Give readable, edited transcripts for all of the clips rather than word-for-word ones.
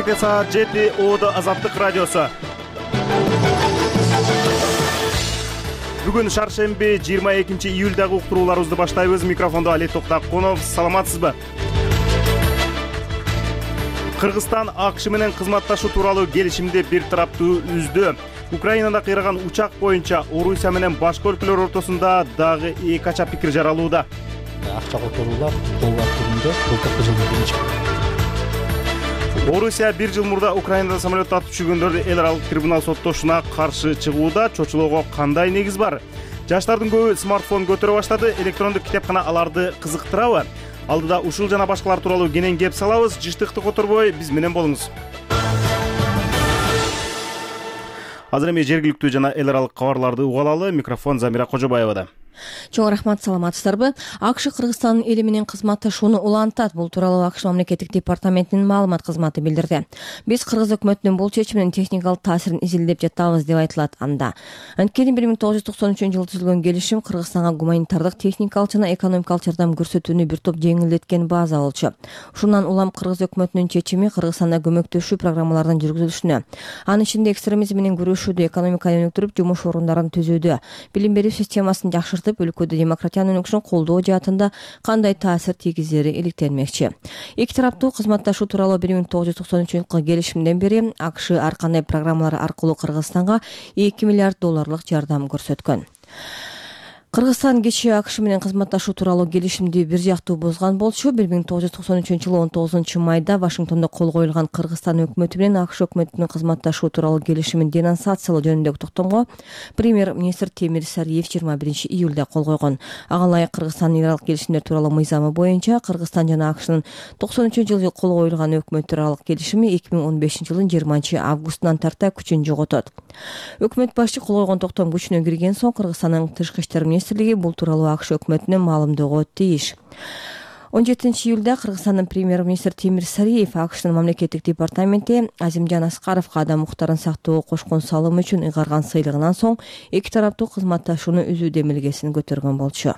Кечээ саат 7 Оодо Азаттык радиосу. Бүгүн шаршемби 22-июлдагы уктурууларыбызды баштайбыз. Микрофондо Али Токтакунов. Саламатсызбы? Кыргызстан АКШ менен кызматташуу тууралуу келишимди бир тараптуу үздү. Украинада кыйраган учак боюнча Орусия менен башка өлкөлөр ортосунда дагы эки кача пикир жаралууда. Акча которуулар доллар түрүндө былтыркы жылдын биринчи. Орусия бир жыл мурда Украинада самолет атып түшүргөндөрдү эл аралык трибунал соттошуна каршы чыгууда. Чочулоого кандай негиз бар? Жаштардын көбү смартфон көтөрө баштады. Электрондук китепкана аларды кызыктырабы? Алдыда ушул жана башкалар тууралуу кенен кеп салабыз. Жыштыкты которбой биз менен болуңуз. Азыр эми жергиликтүү жана эл аралык кабарларды угалалы. Микрофон Замира Кожобаевада. Чоң рахмат, саламатсыздарбы? АКШ Кыргызстандын эли менен кызматташууну улантат. Бул тууралуу АКШ мамлекеттик департаментинин маалымат кызматы билдирди. Биз кыргыз өкмөтүнүн бул чечиминин техникалык таасирин изилдеп жатабыз деп айтылат анда. Анткени 1993-жылы түзүлгөн келишим Кыргызстанга гуманитардык, техникалык жана экономикалык жардам көрсөтүүнү бир топ жеңилдеткен база болчу. Ушундан улам кыргыз өкмөтүнүн чечими Кыргызстанда көмөктөшүү программаларынын жүргүзүлүшүнө, анын ичинде экстремизм менен күрөшүүдө, экономиканы өнүктүрүп, жумуш орундарын түзүүдө, билим берүү системасын жакшыртып, өлкөдө демократиянын өнүгүшүн колдоо жаатында кандай таасир тийгизери иликтелмекчи. Эки тараптуу кызматташуу тууралуу 1993-жылкы келишимден бери АКШ ар кандай программалар аркылуу Кыргызстанга 2 миллиард долларлык жардам көрсөткөн. Кыргызстан кечээ АКШ менен кызматташуу тууралуу келишимди бир жактуу бузган болчу. 1993-жылы 19 майда Вашингтондо кол коюлган Кыргызстан өкмөтү менен АКШ өкмөтүнүн кызматташуу тууралуу келишимин денонсациялоо жөнүндөгү токтомго премьер-министр Темир Сариев 21-июлда кол койгон. Ага ылайык Кыргызстандын эл аралык келишимдер тууралуу мыйзамы боюнча Кыргызстан жана АКШнын 93-жылы кол коюлган өкмөттөр аралык келишими 2015-жылдын 20-августунан тарта күчүн жоготот. Өкмөт башчы кол койгон токтом күчүнө кирген соң Кыргызстандын тышкы иштер министрлиги бул тууралуу АКШ өкмөтүнө маалымдоого тийиш. 17-июлда Кыргызстандын премьер-министр Темир Сариев АКШнын мамлекеттик департаменти Азимжан Аскаровго адам укуктарын сактоого кошкон салымы үчүн ыйгарган сыйлыгынан соң эки тараптуу кызматташууну үзүү демилгесин көтөргөн болчу.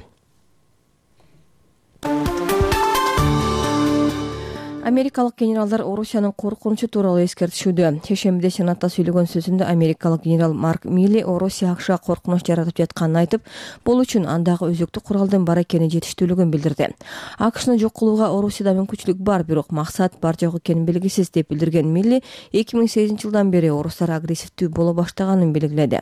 Америкалык генералдар Орусиянын коркунучу тууралуу эскертишүүдө. Шешембиде Сенатта сүйлөгөн сөзүндө америкалык генерал Марк Милли Орусия АКШга коркунуч жаратып жатканын айтып, бул үчүн андагы өзөктүк куралдын бар экени жетиштүүлүгүн билдирди. АКШны жок кылууга Орусияда мүмкүнчүлүк бар, бирок максат бар жок экени белгисиз деп билдирген Милли 2008-жылдан бери орустар агрессивдүү боло баштаганын белгиледи.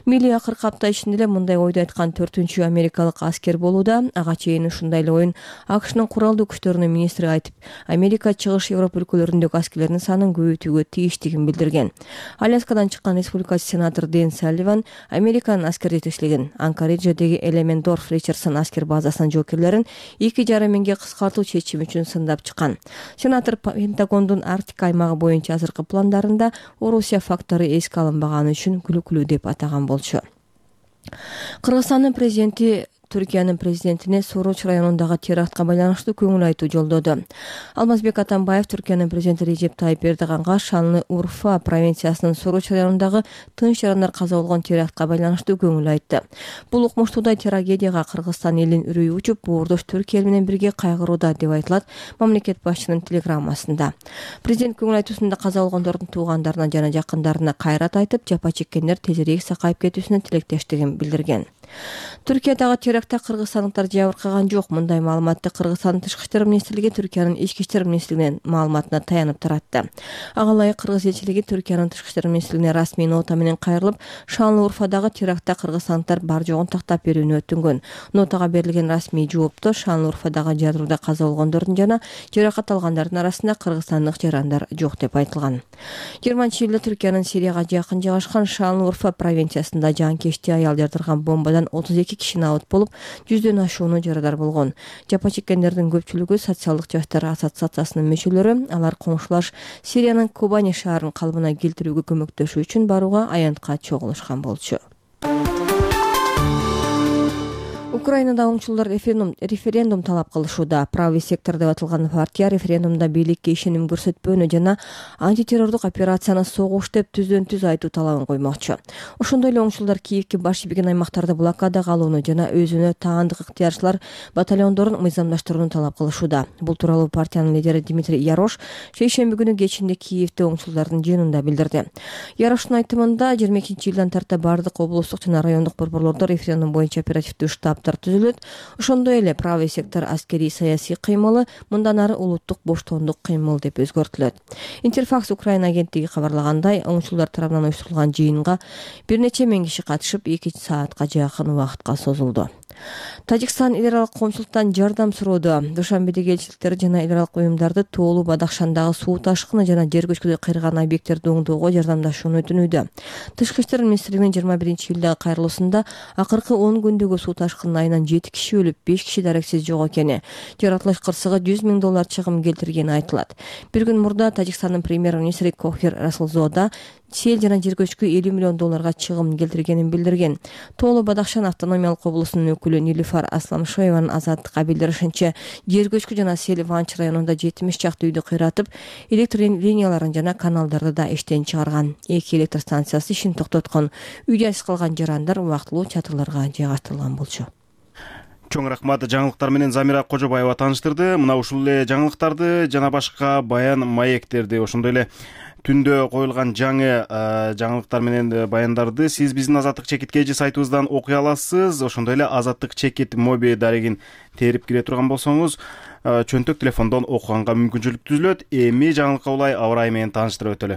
Милли акыркы апта ичинде эле мындай ойду айткан 4-чү америкалык аскер болууда. Ага чейин ушундай эле оюн АКШнын куралдуу күчтөрүнүн министри айтып, Америка чыгыш Европа өлкөлөрүндөгү аскерлердин санын көбөйтүүгө тийиштигин билдирген. Аляскадан чыккан республикачы сенатор Дэн Салливан Американын аскер жетекчилигин Анкоридждеги Элементдорф Ричардсон аскер базасынын жоокерлерин 2,5 миңге кыскартуу чечими үчүн сындап чыккан. Сенатор Пентагондун Арктика аймагы боюнча азыркы пландарында Орусия фактору эске алынбаганы үчүн күлүкүлүү деп атаган болчу. Кыргызстандын президенти Түркиянын президентине Суруч районундагы терактка байланыштуу көңүл айтуу жолдоду. Алмазбек Атамбаев Түркиянын президенти Режеп Тайип Эрдоганга Шанлы Урфа провинциясынын Суруч районундагы тынч жарандар каза болгон терактка байланыштуу көңүл айтты. Бул укмуштуудай трагедияга Кыргызстан элинин үрөйү учуп, боордош Түркия эл менен бирге кайгырууда деп айтылат мамлекет башчынын телеграммасында. Президент көңүл айтуусунда каза болгондордун туугандарына жана жакындарына кайрат айтып, жапа чеккендер тезирээк сакайып кетүүсүнө тилектештигин билдирген. Түркиядагы терактта кыргызстандыктар жабыркаган жок. Мындай маалыматты Кыргызстандын тышкы иштер министрлиги Түркиянын ички иштер министрлигинин маалыматына таянып таратты. Ага ылайык кыргыз элчилиги Түркиянын тышкы иштер министрлигине расмий нота менен кайрылып, Шанлы Урфадагы терактта кыргызстандыктар бар жогун тактап берүүнү өтүнгөн. Нотага берилген расмий жоопто Шанлы Урфадагы жадырууда каза болгондордун жана жаракат алгандардын арасында кыргызстандык жарандар жок деп айтылган. 20-июлда Түркиянын Сирияга жакын жайгашкан Шанлы Урфа провинциясында жанкечти аял жардырган бомбадан 32 киши набыт болуп, 100дөн ашууну жарадар болгон. Жапа чеккендердин көпчүлүгү социалдык жаштар ассоциациясынын мүчөлөрү. Алар коңшулаш Сириянын Кобани шаарын калыбына келтирүүгө көмөктөшүү үчүн барууга аянтка чогулушкан болчу. Украинада оңчулдар референдум талап кылышууда. Правый сектор деп аталган партия референдумда бийликке ишеним көрсөтпөөнү жана антитеррордук операцияны согуш деп түздөн-түз айтуу талабын коймокчу. Ошондой эле оңчулдар Киевке баш ийбеген аймактарды блокадага алууну жана өзүнө таандык ыктыярчылар батальондорун мыйзамдаштырууну талап кылышууда. Бул тууралуу партиянын лидери Дмитрий Ярош шейшемби күнү кечинде Киевде оңчулдардын жыйынында билдирди. Яроштун айтымында 22-жылдан тарта бардык облустук жана райондук борборлордо референдум боюнча оперативдүү штаб түзүлөт. Ошондой эле правый сектор аскерий саясий кыймылы мындан ары улуттук боштондук кыймыл деп өзгөртүлөт. Интерфакс Украина агенттиги кабарлагандай, оңчулдар тарабынан уюштурулган жыйынга бир нече миң киши катышып 2 саатка жакын убакытка созулду. Тажикстан эл аралык коомчулуктан жардам суроодо. Душанбедеги элчиликтер жана эл аралык уюмдарды Тоолу Бадахшандагы суу ташкыны жана жер көчкүдө кыйраган объекттерди оңдоого жардамдашууну өтүнүүдө. Тышкы иштер министрлигинин 21-июлдагы кайрылуусунда акыркы 10 күндөгү суу ташкынынан айынан 7 киши өлүп, 5 киши дарексиз жок экени, жаратылыш кырсыгы $100 000 чыгым келтиргени айтылат. Бир күн мурда Тажикстандын премьер-министри Кохир Расулзода сел жана жер көчкү $50 million чыгым келтиргенин билдирген. Тоолу Бадахшан автономиялык облусунун өкүлү Нилифар Асламшоеванын Азаттыкка билдиришинче, жер көчкү жана сел Ванч районунда 70 чакты үйдү кыйратып, электр линияларын жана каналдарды да иштен чыгарган. 2 электр станциясы ишин токтоткон. Үйдө айсыз калган жарандар убактылуу чатырларга жайгаштырылган болчу. Чоң рахмат, жаңылыктар менен Замира Кожобаева тааныштырды. Мына ушул эле жаңылыктарды жана башка баян маектерди, ошондой эле түндө коюлган жаңы жаңылыктар менен баяндарды сиз биздин Азаттык чекит KG сайтыбыздан окуй аласыз. Ошондой эле Азаттык чекит моби дарегин терип кире турган болсоңуз, чөнтөк телефондон окуганга мүмкүнчүлүк түзүлөт. Эми жаңылыкка улай аба ырайы менен тааныштырып өтөлү.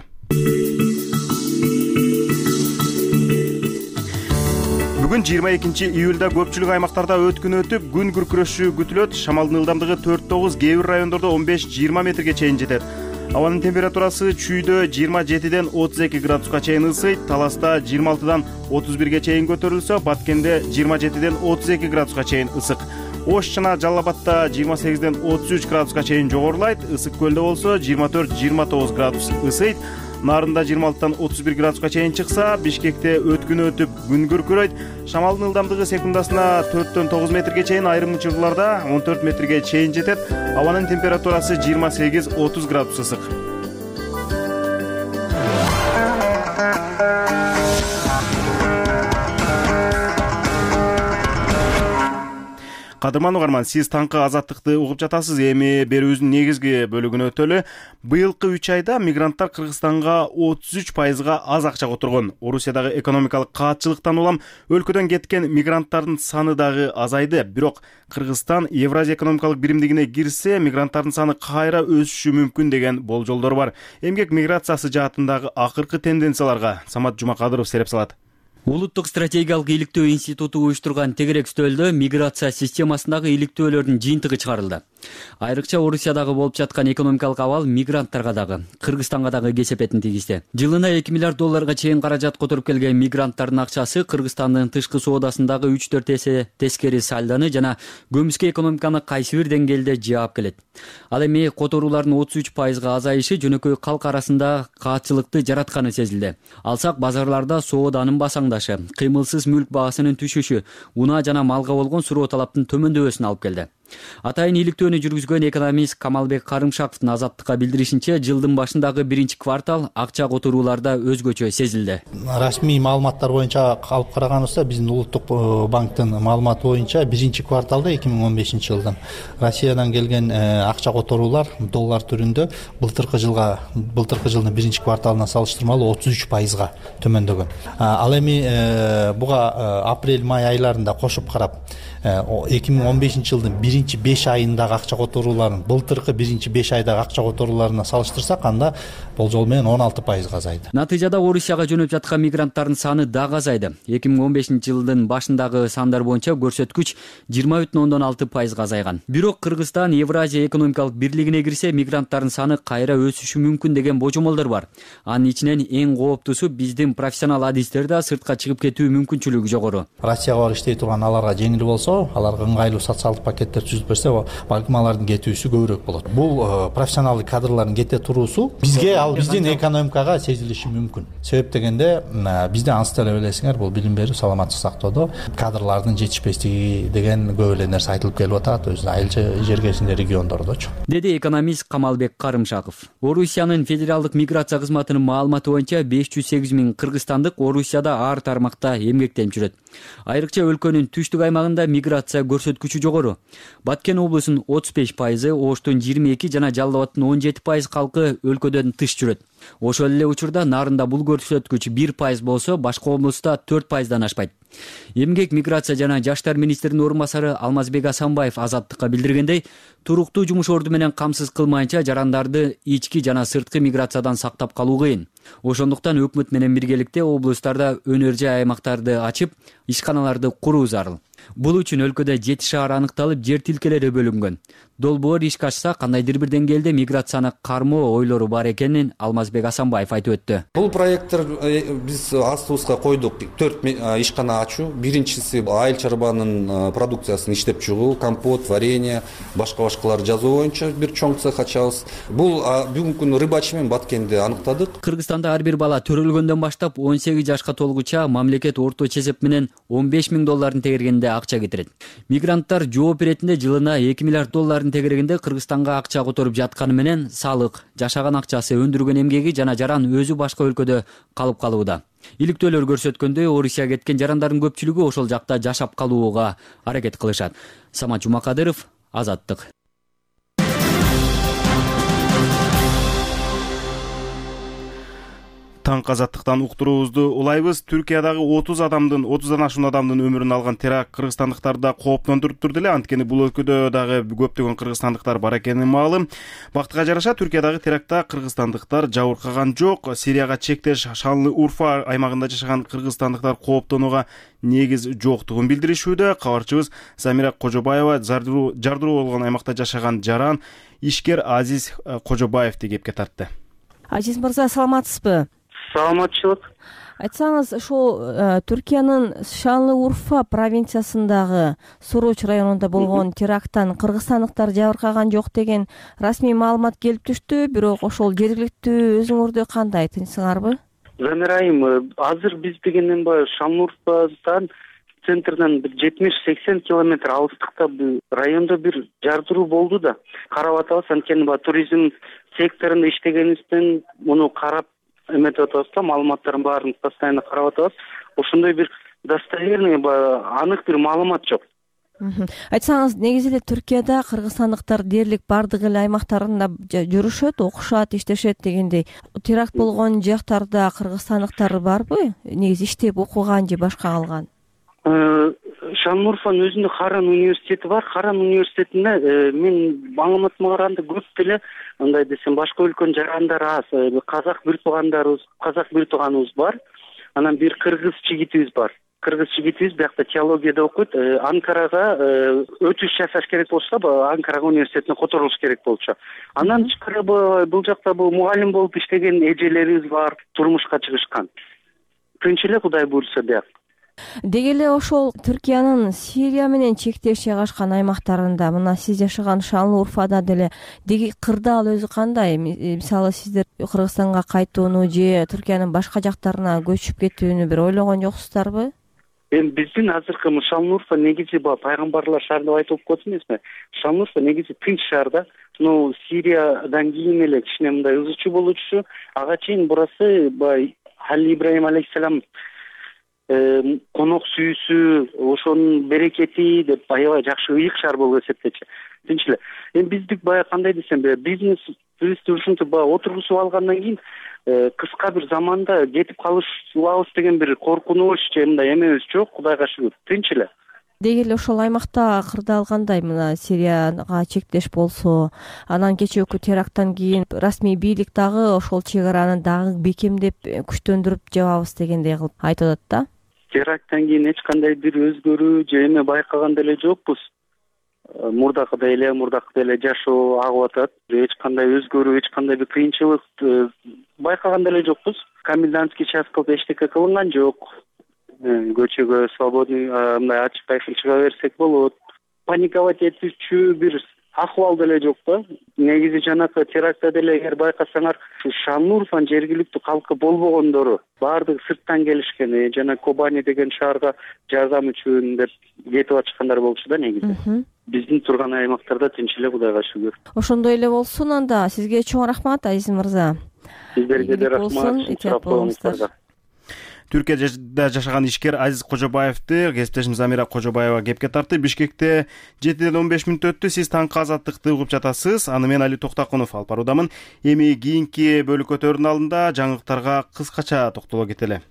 Бүгүн 22-июлда көпчүлүк аймактарда өткүн өтүп, күн күркүрөшү күтүлөт. Шамалдын ылдамдыгы 4-9, кээ бир райондордо 15-20 метрге чейин жетет. Абанын температурасы чүйдө 27-ден 32 градуска чейин ысыйт, Таласта 26-дан 31ге чейин көтөрүлсө, Баткенде 27-ден 32 градуска чейин ысык. Ош жана Жалал Абадта 28-ден 33 градуска чейин жогорулайт, Ысык көлдө болсо 24-29 градус ысыйт. Нарында 26-тан 31 градуска чейин чыкса, Бишкекте өткүн өтүп, күн күркүрөйт. Шамалдын ылдамдыгы секундасына 4-төн 9 метрге чейин, айрым учурларда 14 метрге чейин жетет. Абанын температурасы 28-30 градус ысык. Кадырман угарман, сиз таңкы Азаттыкты угуп жатасыз. Эми берүүбүздүн негизги бөлүгүнө өтөлү. Быйылкы 3 айда мигранттар Кыргызстанга 33% аз акча которгон. Орусиядагы экономикалык каатчылыктан улам өлкөдөн кеткен мигранттардын саны дагы азайды. Бирок Кыргызстан Евразия экономикалык биримдигине кирсе, мигранттардын саны кайра өсүшү мүмкүн деген болжолдор бар. Эмгек миграциясы жаатындагы акыркы тенденцияларга Самат Жумакадыров сереп салат. Улуттук стратегиялык иликтөө институту уюштурган тегерек стөлдө миграция системасындагы иликтөөлөрдүн жыйынтыгы чыгарылды. Айрыкча Орусиядагы болуп жаткан экономикалык абал мигранттарга дагы, Кыргызстанга дагы кесепетин тийгизди. Жылына $2 миллиард чейин каражат которуп келген мигранттардын акчасы Кыргызстандын тышкы соодасындагы 3-4 эсе тескери сальдоны жана көмүскө экономиканы кайсы бир деңгээлде жаап келет. Ал эми которуулардын 33% азайышы жөнөкөй калк арасында каатчылыкты жаратканы сезилди. Алсак базарларда сооданын басаңдашы, кыймылсыз мүлк баасынын түшүшү, унаа жана малга болгон суроо талаптын төмөндөбөсүнө алып келди. Атайын иликтөөнү жүргүзгөн экономист Камалбек Карымшаковдун Азаттыкка билдиришинче, жылдын башындагы 1-квартал акча которууларда өзгөчө сезилди. Расмий маалыматтар боюнча алып караганыбызда, биздин улуттук банктын маалыматы боюнча 1-кварталда 2015-жылдан Россиядан келген акча которуулар доллар түрүндө былтыркы жылдын 1-кварталына салыштырмалуу 33% төмөндөгөн. Ал эми буга апрель-май айларында кошуп карап, 2015-жылдын 1-5 айындагы акча которууларын былтыркы 1-5 айдагы акча которууларына салыштырсак, анда болжол менен 16% азайды. Натыйжада Орусияга жөнөп жаткан мигранттардын саны дагы азайды. 2015-жылдын башындагы сандар боюнча көрсөткүч 20,6% азайган. Бирок Кыргызстан Евразия экономикалык бирлигине кирсе, мигранттардын саны кайра өсүшү мүмкүн деген божомолдор бар. Анын ичинен эң кооптусу биздин профессионал адистерде сыртка чыгып кетүү мүмкүнчүлүгү жогору. Россияга барып иштей турган аларга жеңил болсо, аларга ыңгайлуу социалдык пакеттер түзүп берсе, балким алардын кетүүсү көбүрөөк болот. Бул профессионалдык кадрлардын кете туруусу бизге, ал биздин экономикага сезилиши мүмкүн. Себеп дегенде бизде ансы деле билесиңер, бул билим берүү, саламаттык сактоодо кадрлардын жетишпестиги деген көп эле нерсе айтылып келип атат, өзү айыл жергесинде, региондордочу. Деди экономист Камалбек Карымшаков. Орусиянын федералдык миграция кызматынын маалыматы боюнча 508 000 кыргызстандык Орусияда ар тармакта эмгектенип жүрөт. Айрыкча өлкөнүн түштүк аймагында миграция көрсөткүчү жогору. Баткен облусунун 35%, Оштун 22 жана Жалал Абадтын 17% калкы өлкөдөн тыш жүрөт. Ошол эле учурда Нарында бул көрсөткүч 1% болсо, башка облуста 4%дан ашпайт. Эмгек, миграция жана жаштар министринин орун басары Алмазбек Асанбаев Азаттыкка билдиргендей, туруктуу жумуш орду менен камсыз кылмайынча жарандарды ички жана сырткы миграциядан сактап калуу кыйын. Ошондуктан өкмөт менен биргеликте облустарда өнөр жай аймактарды ачып, ишканаларды куруу зарыл. Бул үчүн өлкөдө 7 шаар аныкталып, жер тилкелери бөлүнгөн. Долбоор ишке ашса, кандайдыр бир деңгээлде миграцияны кармоо ойлору бар экенин Алмазбек Асанбаев айтып өттү. Бул проекттер биз астыбызга койдук. 4 ишкана ачуу. Биринчиси айыл чарбанын продукциясын иштеп чыгуу, компот, варенье, башкалар жазуу боюнча бир чоң цех ачабыз. Бул бүгүнкү күнү Рыбачи менен Баткенде аныктадык. Кыргызстанда ар бир бала төрөлгөндөн баштап 18 жашка толгуча мамлекет орто эсеп менен $15 000 тегергенде акча кетирет. Мигранттар жооп иретинде жылына $2 миллиард тегерегинде Кыргызстанга акча которуп жатканы менен салык, жашаган акчасы, өндүргөн эмгеги жана жаран өзү башка өлкөдө калып калууда. Иликтөөлөр көрсөткөндөй, Орусияга кеткен жарандардын көпчүлүгү ошол жакта жашап калууга аракет кылышат. Самат Жумакадыров, Азаттык. Таңкы Азаттыктан уктуруубузду улайбыз. Түркиядагы 30-дан ашуун адамдын өмүрүн алган теракт кыргызстандыктарды кооптондуруп турду эле. Анткени бул өлкөдө дагы көптөгөн кыргызстандыктар бар экени маалым. Бактыга жараша Түркиядагы терактта кыргызстандыктар жабыркаган жок. Сирияга чектеш Шанлы-Урфа аймагында жашаган кыргызстандыктар кооптонууга негиз жоктугун билдиришүүдө. Кабарчыбыз Замира Кожобаева жардыруу болгон аймакта жашаган жаран ишкер Азиз Кожобаевди кепке тартты. Азиз мырза, саламатсызбы? Саламатчылык. Айтсаңыз, ошол Түркиянын Шанлы-Урфа провинциясындагы Суруч районунда болгон теракттан кыргызстандыктар жабыркаган жок деген расмий маалымат келип түштү. Бирок ошол жергиликтүү өзүңөрдө кандай, тынчсыңарбы? Замира айым, азыр биз дегенден баягы Шанлы-Урфадан центрден 70-80 километр алыстыкта райондо бир жардыруу болду да. Карап атабыз, анткени туризм секторунда иштегенибизден муну карап эметип атабыз да, маалыматтардын баарын постоянно карап атабыз. Ошондой бир достоверный, анык бир маалымат жок. Айтсаңыз, негизи эле Түркияда кыргызстандыктар дээрлик бардык эле аймактарында жүрүшөт, окушат, иштешет дегендей. Теракт болгон жактарда кыргызстандыктар барбы? Негизи иштеп окуган же башка калган? Шанлы-Урфанын өзүндө Харан университети бар. Харан университетинде мен маалыматыма караганда көп деле, андай десем, башка өлкөнүн жарандары аз. Казак бир тууганыбыз бар. Анан бир кыргыз жигитибиз бар. Кыргыз жигитибиз биякта теологияда окуйт. Анкарага өтүш жасаш керек болсо, Анкарага университетине которулуш керек болчу. Андан тышкары бул жакта мугалим болуп иштеген эжелерибиз бар, турмушка чыгышкан. Тынч эле, Кудай буйрса бияк. Деги эле ошол Түркиянын Сирия менен чектеш жайгашкан аймактарында, мына сиз жашаган Шанлы-Урфада деле деги кырдаал өзү кандай? Мисалы, сиздер Кыргызстанга кайтууну же Түркиянын башка жактарына көчүп кетүүнү бир ойлогон жоксуздарбы? Эми биздин азыркы Шанлы-Урфа негизи пайгамбарлар шаар деп айтып коет эмесми? Шанлы-Урфа негизи тынч шаар да. Сириядан кийин эле кичине мындай ызычуу болчу. Ага чейин бурасы Хали Ибрахим алейхиссалам конок сүйүүсү, ошонун берекети деп аябай жакшы ыйык шаар болуп эсептечи. Тынч эле. Эми биздик кандай десем, бизнес ушинтип отургузуп алгандан кийин кыска бир заманда кетип калышыбыз деген бир коркунуч же мындай эмебиз жок, Кудайга шүгүр. Тынч эле. Деги эле ошол аймакта кырдаал кандай? Мына Сирияга чектеш болсо, анан кечээки теракттан кийин расмий бийлик дагы ошол чек араны дагы бекемдеп, күчтөндүрүп жабабыз дегендей кылып айтып атат да. Теракттан кийин эч кандай бир өзгөрүү же эме байкаган деле жокпуз. Мурдакыдай эле жашоо агып атат. Эч кандай өзгөрүү, эч кандай бир кыйынчылык байкаган деле жокпуз. Комендантский час кылып эчтеке кылынган жок. Көчөгө свободный мындай ачык айкын чыга берсек болот. паниковать этүүчү бир акыбал деле жок да. Негизи жанакы терактта деле эгер байкасаңар, Шанлурфан жергиликтүү калкы болбогондору баардыгы сырттан келишкен, жана Кобани деген шаарга жардам үчүн деп кетип атышкандар болчу да негизи. Биздин турган аймактарда тынч эле, Кудайга шүгүр. Ошондой эле болсун анда. Сизге чоң рахмат, Азиз мырза. Сиздерге да рахмат. Этият болуңуздар. Түркияда жашаган ишкер Азиз Кожобаевди кесиптешим Замира Кожобаева кепке тартты. Бишкекте 7-15 мүнөт өттү. Сиз таңкы азаттыкты угуп жатасыз. Аны мен Али Токтакунов алып баруудамын. Эми кийинки бөлүкөтөрдүн алдында жаңылыктарга кыскача токтоло кетели.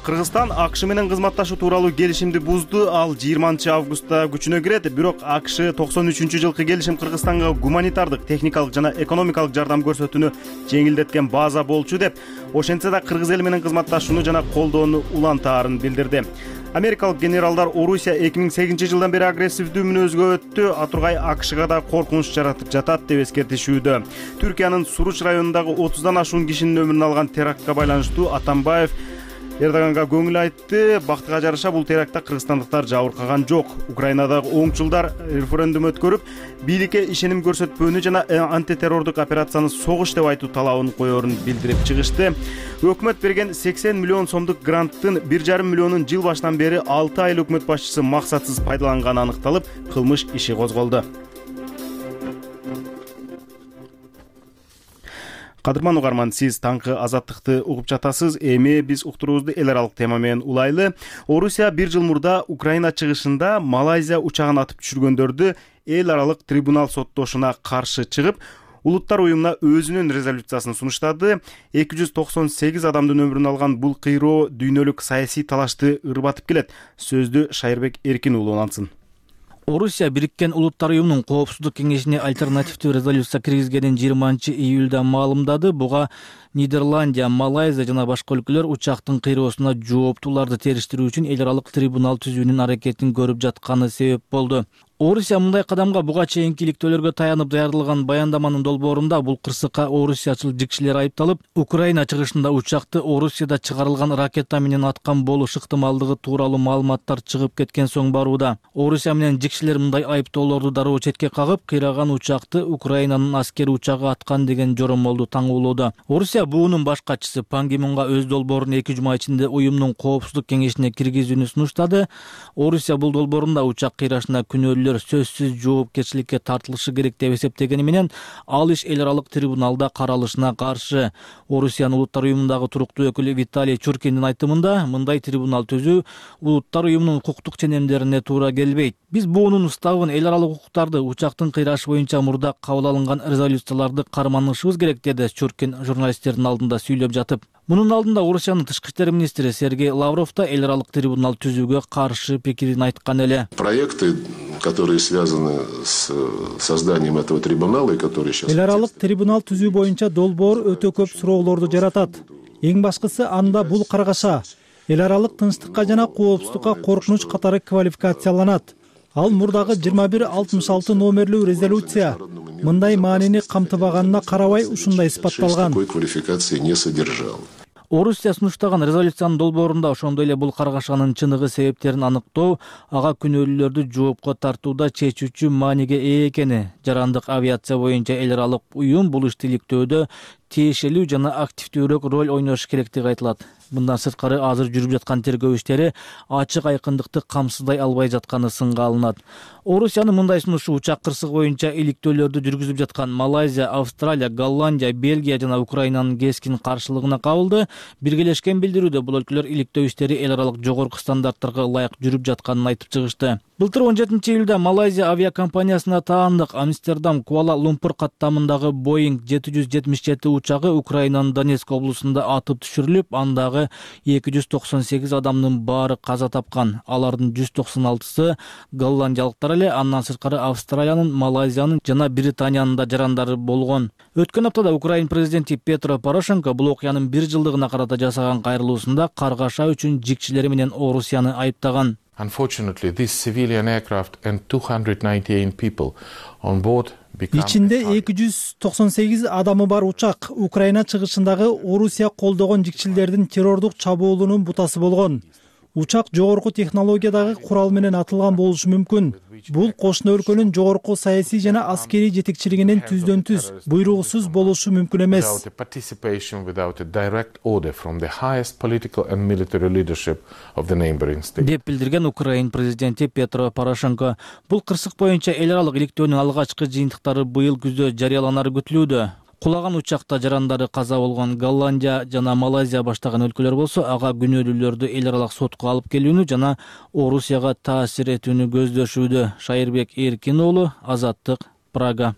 Кыргызстан АКШ менен кызматташуу тууралуу келишимди бузду. Ал 20 августта күчүнө кирет. Бирок АКШ 93-жылкы келишим Кыргызстанга гуманитардык, техникалык жана экономикалык жардам көрсөтүүнү жеңилдеткен база болчу деп, ошентсе да кыргыз эли менен кызматташууну жана колдоону улантаарын билдирди. Америкалык генералдар Орусия 2008-жылдан бери агрессивдүү мүнөзгө өттү. Атургай АКШга да коркунуч жаратып жатат деп эскертишүүдө. Түркиянын Суруч районундагы 30дан ашуун кишинин өмүрүн алган терактка байланыштуу Атамбаев Эрдоганга көңүл айтты. Бактыга жараша бул терактта кыргызстандыктар жабыркаган жок. Украинадагы оңчулдар референдум өткөрүп, бийликке ишеним көрсөтпөөнү жана антитеррордук операцияны согуш деп айтуу талабын коерун билдирип чыгышты. Өкмөт берген 80 миллион сомдук гранттын 1,5 миллионун жыл башынан бери 6 ай өкмөт башчысы максатсыз пайдаланганы аныкталып, кылмыш иши козголду. Кадырман угарман, сиз таңкы азаттыкты угуп жатасыз. Эми биз уктуруубузду эл аралык тема менен улайлы. Орусия 1 жыл мурда Украина чыгышында Малайзия учагын атып түшүргөндөрдү эл аралык трибунал соттошуна каршы чыгып, Улуттар уюмуна өзүнүн резолюциясын сунуштады. 298 адамдын өмүрүн алган бул кыйроо дүйнөлүк саясий талашты ырбатып келет. Сөздү Шайырбек Эркин уулу улантсын. Орусия Бириккен Улуттар уюмунун коопсуздук кеңешине альтернативдүү резолюция киргизгенин 20 июлда маалымдады. Буга Нидерландия, Малайзия жана башка өлкөлөр учактын кыйроосуна жооптууларды териштирүү үчүн эл аралык трибунал түзүүнүн аракетин көрүп жатканы себеп болду. Орусия мындай кадамга буга чейинки иликтөөлөргө таянып даярдалган баяндаманын долбоорунда бул кырсыкка орусиячыл жикшилер айыпталып, Украина чыгышында учакты Орусияда чыгарылган ракета менен аткан болуш ыктымалдыгы тууралуу маалыматтар чыгып кеткен соң барууда. Орусия менен жикшилер мындай айыптоолорду дароо четке кагып, кыйраган учакты Украинанын аскери учагы аткан деген жоромолду таңуулоодо. Орусия буунун баш катчысы Пан Ги Мунга өз долбоорун 2 жума ичинде уюмдун коопсуздук кеңешине киргизүүнү сунуштады. Орусия бул долбоорунда учак кыйрашына күнөөлүү сөзсүз жоопкерчиликке тартылышы керек деп эсептегени менен, ал иш эл аралык трибуналда каралышына каршы. Орусиянын Улуттар уюмундагы туруктуу өкүлү Виталий Чуркиндин айтымында, мындай трибунал түзүү Улуттар уюмунун укуктук ченемдерине туура келбейт. Биз буунун уставын, эл аралык укуктарды, учактын кыйрашы боюнча мурда кабыл алынган резолюцияларды карманышыбыз керек, деди Чуркин журналисттердин алдында сүйлөп жатып. Мунун алдында Орусиянын тышкы иштер министри Сергей Лавров да эл аралык трибунал түзүүгө каршы пикирин айткан эле. Проекты, которые связаны с созданием этого трибунала и которые сейчас... Эл аралык трибунал түзүү боюнча долбоор өтө көп суроолорду жаратат. Эң башкысы анда бул каргаша эл аралык тынчтыкка жана коопсуздукка коркунуч катары квалификацияланат. Ал мурдагы 2166 номерлүү резолюция мындай маанини камтыбаганына карабай ушундай испатталган. Такой квалификации не содержал. Орусия сунуштаган резолюциянын долбоорунда ошондой эле бул каргашанын чыныгы себептерин аныктоо, ага күнөөлүүлөрдү жоопко тартууда чечүүчү мааниге ээ экени, жарандык авиация боюнча эл аралык уюм бул ишти иликтөөдө тиешелүү жана активдүүрөөк роль ойношу керектиги айтылат. Мындан сырткары азыр жүрүп жаткан тергөө иштери ачык айкындыкты камсыздай албай жатканы сынга алынат. Орусиянын мындай сунушу учак кырсыгы боюнча иликтөөлөрдү жүргүзүп жаткан Малайзия, Австралия, Голландия, Бельгия жана Украинанын кескин каршылыгына кабылды. Биргелешкен билдирүүдө бул өлкөлөр иликтөө иштери эл аралык жогорку стандарттарга ылайык жүрүп жатканын айтып чыгышты. Былтыр 17 июлда Малайзия авиакомпаниясына таандык Амстердам Куала-Лумпур каттамындагы Boeing 777 учагы Украинанын Донецк облусунда атып түшүрүлүп, андагы 298 адамдын баары каза тапкан. Алардын 196сы голландиялыктар эле, андан сырткары Австралиянын, Малайзиянын жана Британиянын да жарандары болгон. Өткөн аптада Украин президенти Петро Порошенко бул окуянын 1 жылдыгына карата жасаган кайрылуусунда каргаша үчүн жикчилери менен Орусияны айыптаган. Unfortunately, this civilian aircraft and 298 people on board ичинде 298 адамы бар учак Украина чыгышындагы Орусия колдогон жикчилдердин террордук чабуулунун бутасы болгон. Учак жогорку технологиядагы курал менен атылган болушу мүмкүн. Бул кошуна өлкөнүн жогорку саясий жана аскерий жетекчилигинин түздөн-түз буйругусуз болушу мүмкүн эмес. Деп билдирген Украин президенти Петро Порошенко. Бул кырсык боюнча эл аралык иликтөөнүн алгачкы жыйынтыктары быйыл күздө жарыяланары күтүлүүдө. Кулаган учакта жарандары каза болгон Голландия жана Малайзия баштаган өлкөлөр болсо, ага күнөөлүүлөрдү эл аралык сотко алып келүүнү жана Орусияга таасир этүүнү көздөшүүдө. Шайырбек Эркин уулу, Азаттык, Прага.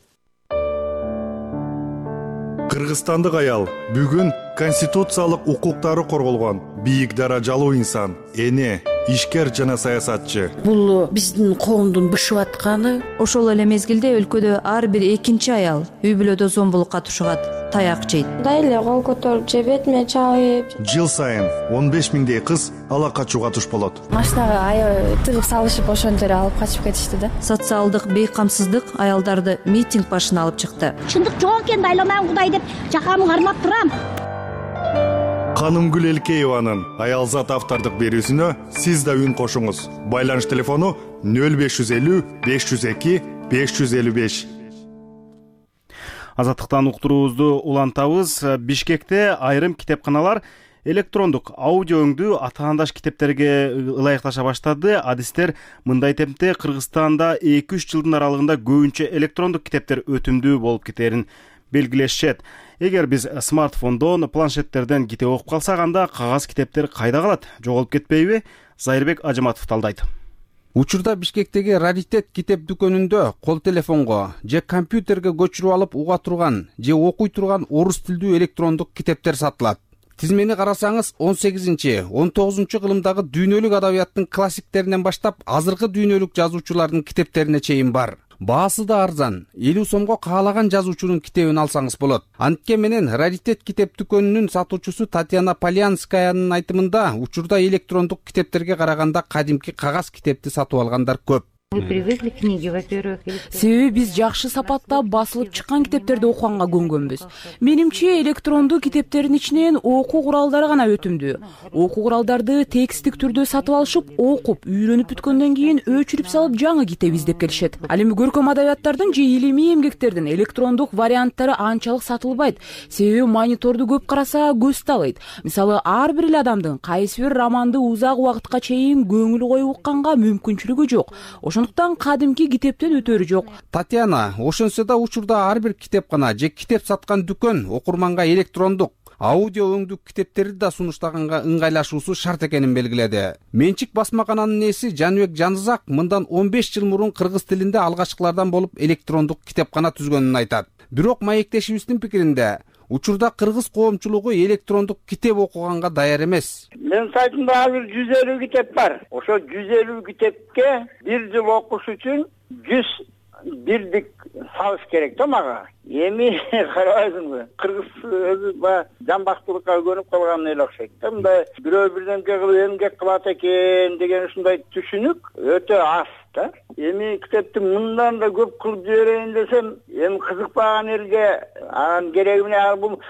Кыргызстандык аял бүгүн конституциялык укуктары корголгон бийик даражалуу инсан, эне, ишкер жана саясатчы. Бул биздин коомдун бышып атканы. Ошол эле мезгилде өлкөдө ар бир экинчи аял үй бүлөдө зомбулукка тушугат, таяк жейт. Эле кол көтөрүп же бетиме чалып. Жыл сайын 15 миңдей кыз ала качууга туш болот. Машинага тыгып салышып ошондо эле алып качып кетишти да. Социалдык бейкамсыздык аялдарды митинг башына алып чыкты. Чындык жок экен, айланам Кудай деп жакамды кармап турам. Канымгүл Элкееванын Аялзат автордук берүүсүнө сиз да үн кошуңуз. Байланыш телефону 0550 502 555. Азаттыктан уктуруубузду улантабыз. Бишкекте айрым китепканалар электрондук аудио өңдүү атаандаш китептерге ылайыкташа баштады. Адистер мындай темпте Кыргызстанда 2-3 жылдын аралыгында көбүнчө электрондук китептер өтүмдүү болуп кетерин белгилешет. Эгер биз смартфондон, планшеттерден китеп окуп калсак, анда кагаз китептер кайда калат? Жоголуп кетпейби? Зайырбек Ажыматов талдайт. Учурда Бишкектеги Раритет китеп дүкөнүндө кол телефонго же компьютерге көчүрүп алып уга турган же окуй турган орус тилдүү электрондук китептер сатылат. Тизмени карасаңыз 18-19 кылымдагы дүйнөлүк адабияттын классиктеринен баштап азыркы дүйнөлүк жазуучулардын китептерине чейин бар. Баасы да арзан. 50 сомго каалаган жазуучунун китебин алсаңыз болот. Антке менен Раритет китеп дүкөнүнүн сатуучусу Татьяна Полянскаянын айтымында учурда электрондук китептерге караганда кадимки кагаз китепти сатып алгандар көп. Вы привыкли книги, во-первых. Себеби биз жакшы сапатта басылып чыккан китептерди окуганга көнгөнбүз. Менимче электрондуу китептердин ичинен окуу куралдары гана өтүмдүү. Окуу куралдарды текстик түрдө сатып алышып, окуп, үйрөнүп бүткөндөн кийин өчүрүп салып жаңы китеп издеп келишет. Ал эми көркөм адабияттардын же илимий эмгектердин электрондук варианттары анчалык сатылбайт. Себеби мониторду көп караса көз талыйт. Мисалы, ар бир эле адамдын кайсы бир романды узак убакытка чейин көңүл коюп укканга мүмкүнчүлүгү жок. Ошондуктан кадимки китептен өтөрү жок. Татьяна, ошонсо да учурда ар бир китепкана же китеп саткан дүкөн окурманга электрондук, аудио өңдүү китептерди да сунуштаганга ыңгайлашуусу шарт экенин белгиледи. Менчик басмакананын ээси Жаныбек Жанызак мындан 15 жыл мурун кыргыз тилинде алгачкылардан болуп электрондук китепкана түзгөнүн айтат. Бирок маектешибиздин пикиринде учурда кыргыз коомчулугу электрондук китеп окуганга даяр эмес. Мен сайтымда азыр 150 китеп бар. Ошо 150 китепке бир жыл окуш үчүн 100 бирдик салыш керек да мага. Эми карабайсыңбы? Кыргыз өзү жамбактуулукка көнүп калган эле окшойт. Мындай бирөө бирдемке кылып эмгек кылат экен деген ушундай түшүнүк өтө аз да. Эми китепти мындан да көп кылып жиберейин десем, эми кызыкпаган элге анын кереги эмне? Бул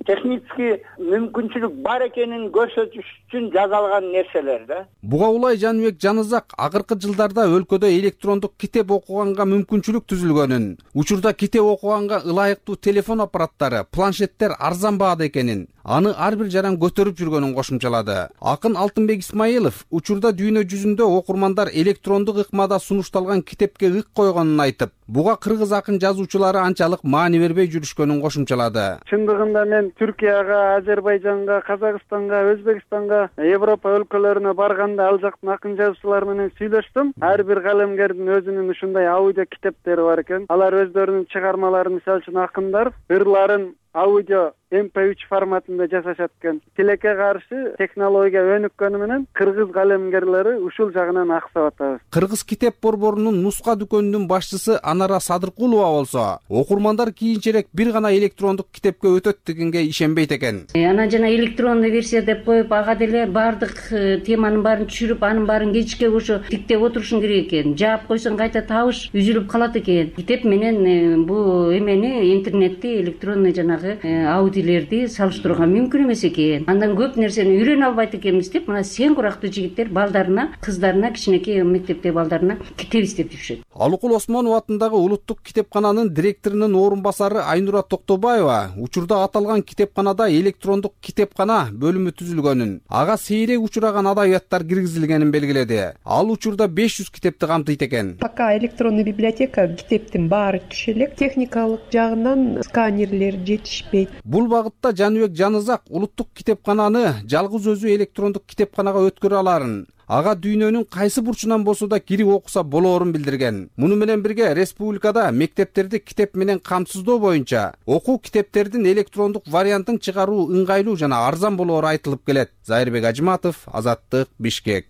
технический мүмкүнчүлүк бар экенин көрсөтүш үчүн жасалган нерселер да. Буга улай Жаныбек Жанызак акыркы жылдарда өлкөдө электрондук китеп окуганга мүмкүнчүлүк түзүлгөнүн, учурда китеп окуганга ылайыктуу телефон аппараттары, планшеттер арзан баада экенин, аны ар бир жаран көтөрүп жүргөнүн кошумчалады. Акын Алтынбек Исмаилов учурда дүйнө жүзүндө окурмандар электрондук ыкмада сунушталган китепке ык койгонун айтып, буга кыргыз акын жазуучулары анчалык маани бербей жүрүшкөнүн кошумчалады. Чындыгында мен Түркияга, Азербайжанга, Казакстанга, Өзбекстанга, Европа өлкөлөрүнө барганда ал жактын акын жазуучулары менен сүйлөштүм. Ар бир калемгердин өзүнүн ушундай аудио китептери бар экен. Алар өздөрүнүн чыгармаларын, мисалы үчүн акындар ырларын аудио MP3 форматында жасашат экен. Тилекке каршы технология өнүккөнү менен кыргыз калемгерлери ушул жагынан аксап атабыз. Кыргыз китеп борборунун нуска дүкөнүнүн башчысы Анара Садыркулова болсо, окурмандар кийинчерээк бир гана электрондук китепке өтөт дегенге ишенбейт экен. Ана жана электронный версия деп коюп, ага деле баардык теманын баарын түшүрүп, анын баарын кечке ошо тиктеп отурушуң керек экен. Жаап койсоң кайта табыш үзүлүп калат экен. Китеп менен бул эмени интернетти, электронный жанагы аудиолерди салыштырууга мүмкүн эмес экен. Андан көп нерсени үйрөнө албайт экенбиз деп, мына сен курактуу жигиттер балдарына, кыздарына, кичинекей мектептеги балдарына китеп издеп жүрүшөт. Алыкул Осмонов атындагы улуттук китепкананын директорунун орун басары Айнура Токтобаева учурда аталган китепканада электрондук китепкана бөлүмү түзүлгөнүн, ага сейрек учураган адабияттар киргизилгенин белгиледи. Ал учурда 500 китепти камтыйт экен. Пока электронный библиотека китептин баары түшө элек, техникалык жагынан сканерлер жетишпейт. Бул багытта Жаныбек Жанызак улуттук китепкананы жалгыз өзү электрондук китепканага өткөрө аларын, ага дүйнөнүн кайсы бурчунан болсо да кирип окуса болоорун билдирген. Муну менен бирге республикада мектептерди китеп менен камсыздоо боюнча окуу китептердин электрондук вариантын чыгаруу ыңгайлуу жана арзан болоору айтылып келет. Зайырбек Ажыматов, Азаттык, Бишкек.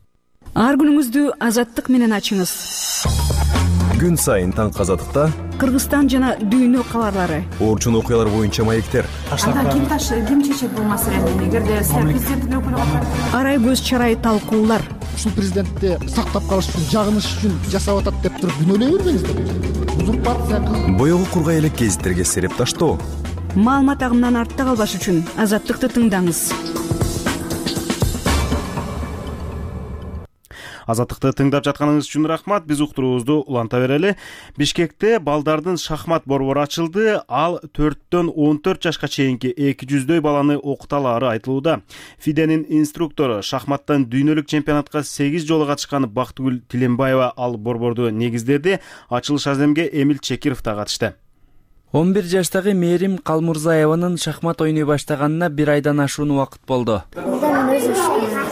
Ар күнүңүздү Азаттык менен ачыңыз. Күн сайын таңкы Азаттыкта Кыргызстан жана дүйнө кабарлары, орчун окуялар боюнча маектер. Ким чечет бул маселени? Эгерде президенттин өкүлү арай көз чарай талкуулар. Ушул президентти сактап калыш үчүн, жагыныш үчүн жасап атат деп туруп күнөөлөй бербеңиздер. Узурпация. Боёгу кургай элек гезиттерге сереп таштоо. Маалымат агымынан артта калбаш үчүн Азаттыкты тыңдаңыз. Азаттыкты тыңдап жатканыңыз үчүн рахмат. Биз уктуруубузду уланта берели. Бишкекте балдардын шахмат борбору ачылды. Ал 4-төн 14 жашка чейинки 200дөй баланы окута алаары айтылууда. Фиденин инструктору, шахматтан дүйнөлүк чемпионатка 8 жолу катышкан Бактыгүл Тилембаева ал борборду негиздеди. Ачылыш аземге Эмил Чекиров да катышты. 11 жаштагы Мээрим Калмурзаеванын шахмат ойной баштаганына 1 айдан ашуун убакыт болду.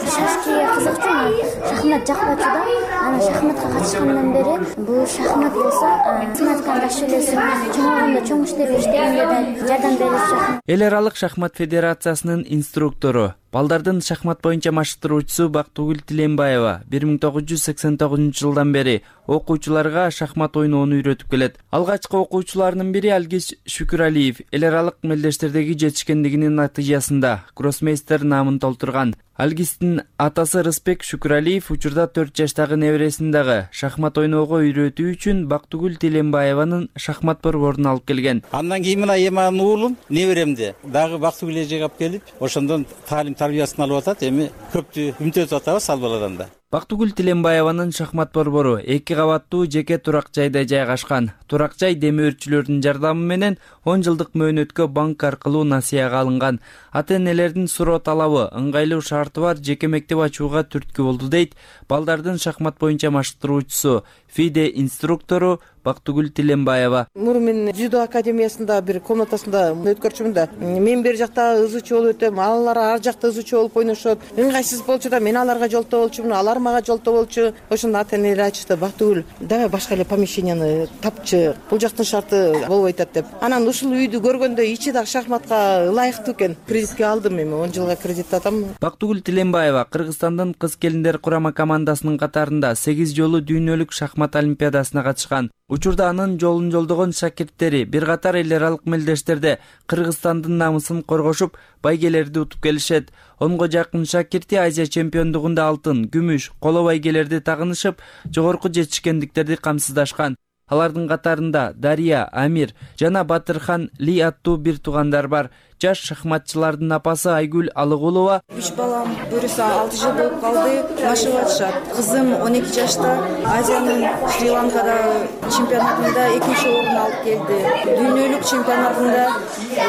Шашкиге кызыкчумун, шахмат жакпачу да. Анан шахматка катышкандан бери бул шахмат болсо, математиканы жакшы билесиң, чоңойгондо чоң иштерди иштегенде да жардам беришет. Эл аралык шахмат федерациясынын инструктору, балдардын шахмат боюнча машыктыруучусу Бактыгүл Тилембаева 1989-жылдан бери окуучуларга шахмат ойноону үйрөтүп келет. Алгачкы окуучуларынын бири Алгиз Шүкүралиев эл аралык мелдештердеги жетишкендигинин натыйжасында гроссмейстер наамын толтурган. Алгиздин атасы Рыспек Шүкүралиев учурда 4 жаштагы небересин дагы шахмат ойноого үйрөтүү үчүн Бактыгүл Тилембаеванын шахмат борборуна алып келген. Андан кийин мына эми анын уулум неберемди дагы Бактыгүл эжеге алып келип, ошондон таалим тарбиясын алып атат. Эми көптү үмүт этип атабыз ал баладан да. Бактыгүл Тилембаеванын шахмат борбору 2 кабаттуу жеке турак жайда жайгашкан. Турак жай демөөрчүлөрдүн жардамы менен 10 жылдык мөөнөткө банк аркылуу насыяга алынган. Ата-энелердин суроо талабы ыңгайлуу шарты бар жеке мектеп ачууга түрткү болду дейт балдардын шахмат боюнча машыктыруучусу, ФИДЕ инструктору Бактыгүл Тилембаева. Мурун мен дзюдо академиясында бир комнатасында өткөрчүмүн да. Мен бер жакта ызычы болуп өтөм, алар ар жакта ызычы болуп ойношот. Ыңгайсыз болчу да мен аларга жолтоо болчумун, алар мага жолтоо болчу. Ошондо ата-энелер айтышты, Бактыгүл, давай башка эле помещенияны тапчы. Бул жактын шарты болбой атат деп. Анан ушул үйдү көргөндө ичи дагы шахматка ылайыктуу экен. Кредитке алдым эми, 10 жылга кредит атам. Бактыгүл Тилембаева Кыргызстандын кыз-келиндер курама командасынын катарында 8 жолу дүйнөлүк шахмат олимпиадасына катышкан. Учурда анын жолун жолдогон шакирттери бир катар эл аралык мелдештерде Кыргызстандын намысын коргошуп, байгелерди утуп келишет. 10го жакын шакирти Азия чемпиондугунда алтын, күмүш, коло байгелерди тагынышып, жогорку жетишкендиктерди камсыздашкан. Алардын катарында Дария, Амир жана Батырхан Ли аттуу бир туугандар бар. Жаш шахматчылардын апасы Айгүл Алыгулова. 3 балам бирөөсү 6 жыл болуп калды, машыгып атышат. Кызым 12 жашта Азиянын Шри-Ланкада чемпионатында 2-чи орун алып келди. Дүйнөлүк чемпионатында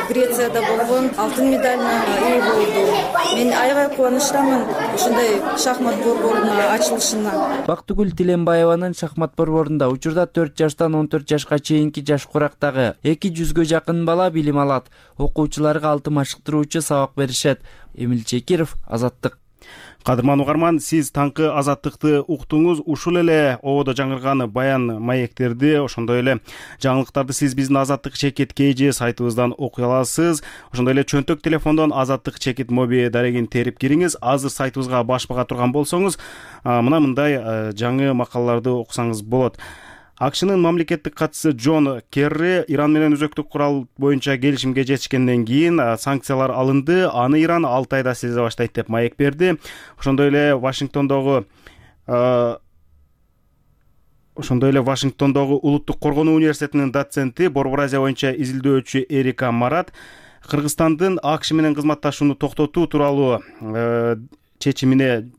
Грецияда болгон алтын медалына ээ болду. Мен аябай кубанычтамын ушундай шахмат борборунун ачылышына. Бактыгүл Тилембаеванын шахмат борборунда учурда 4 жаштан 14 жашка чейинки жаш курактагы 200га жакын бала билим алат. Окуучуларга 6 машыктыруучу сабак беришет. Эмил Чекиров, Азаттык. Кадырман угарман, сиз таңкы азаттыкты уктуңуз. Ушул эле ободо жаңырган баян маектерди, ошондой эле жаңылыктарды сиз биздин Азаттык чекит KG сайтыбыздан окуй аласыз. Ошондой эле чөнтөк телефондон Азаттык чекит моби дарегин терип кириңиз. Азыр сайтыбызга баш бага турган болсоңуз, мындай жаңы макалаларды окусаңыз болот. АКШнын мамлекеттик катчысы Джон Керри Иран менен өзөктүк курал боюнча келишимге жетишкенден кийин санкциялар алынды, аны Иран 6 айда сезе баштайт деп маек берди. Ошондой эле Вашингтондогу Улуттук коргонуу университетинин доценти, Борбор Азия боюнча изилдөөчү Эрика Марат Кыргызстандын АКШ менен кызматташууну токтотуу тууралуу чечимине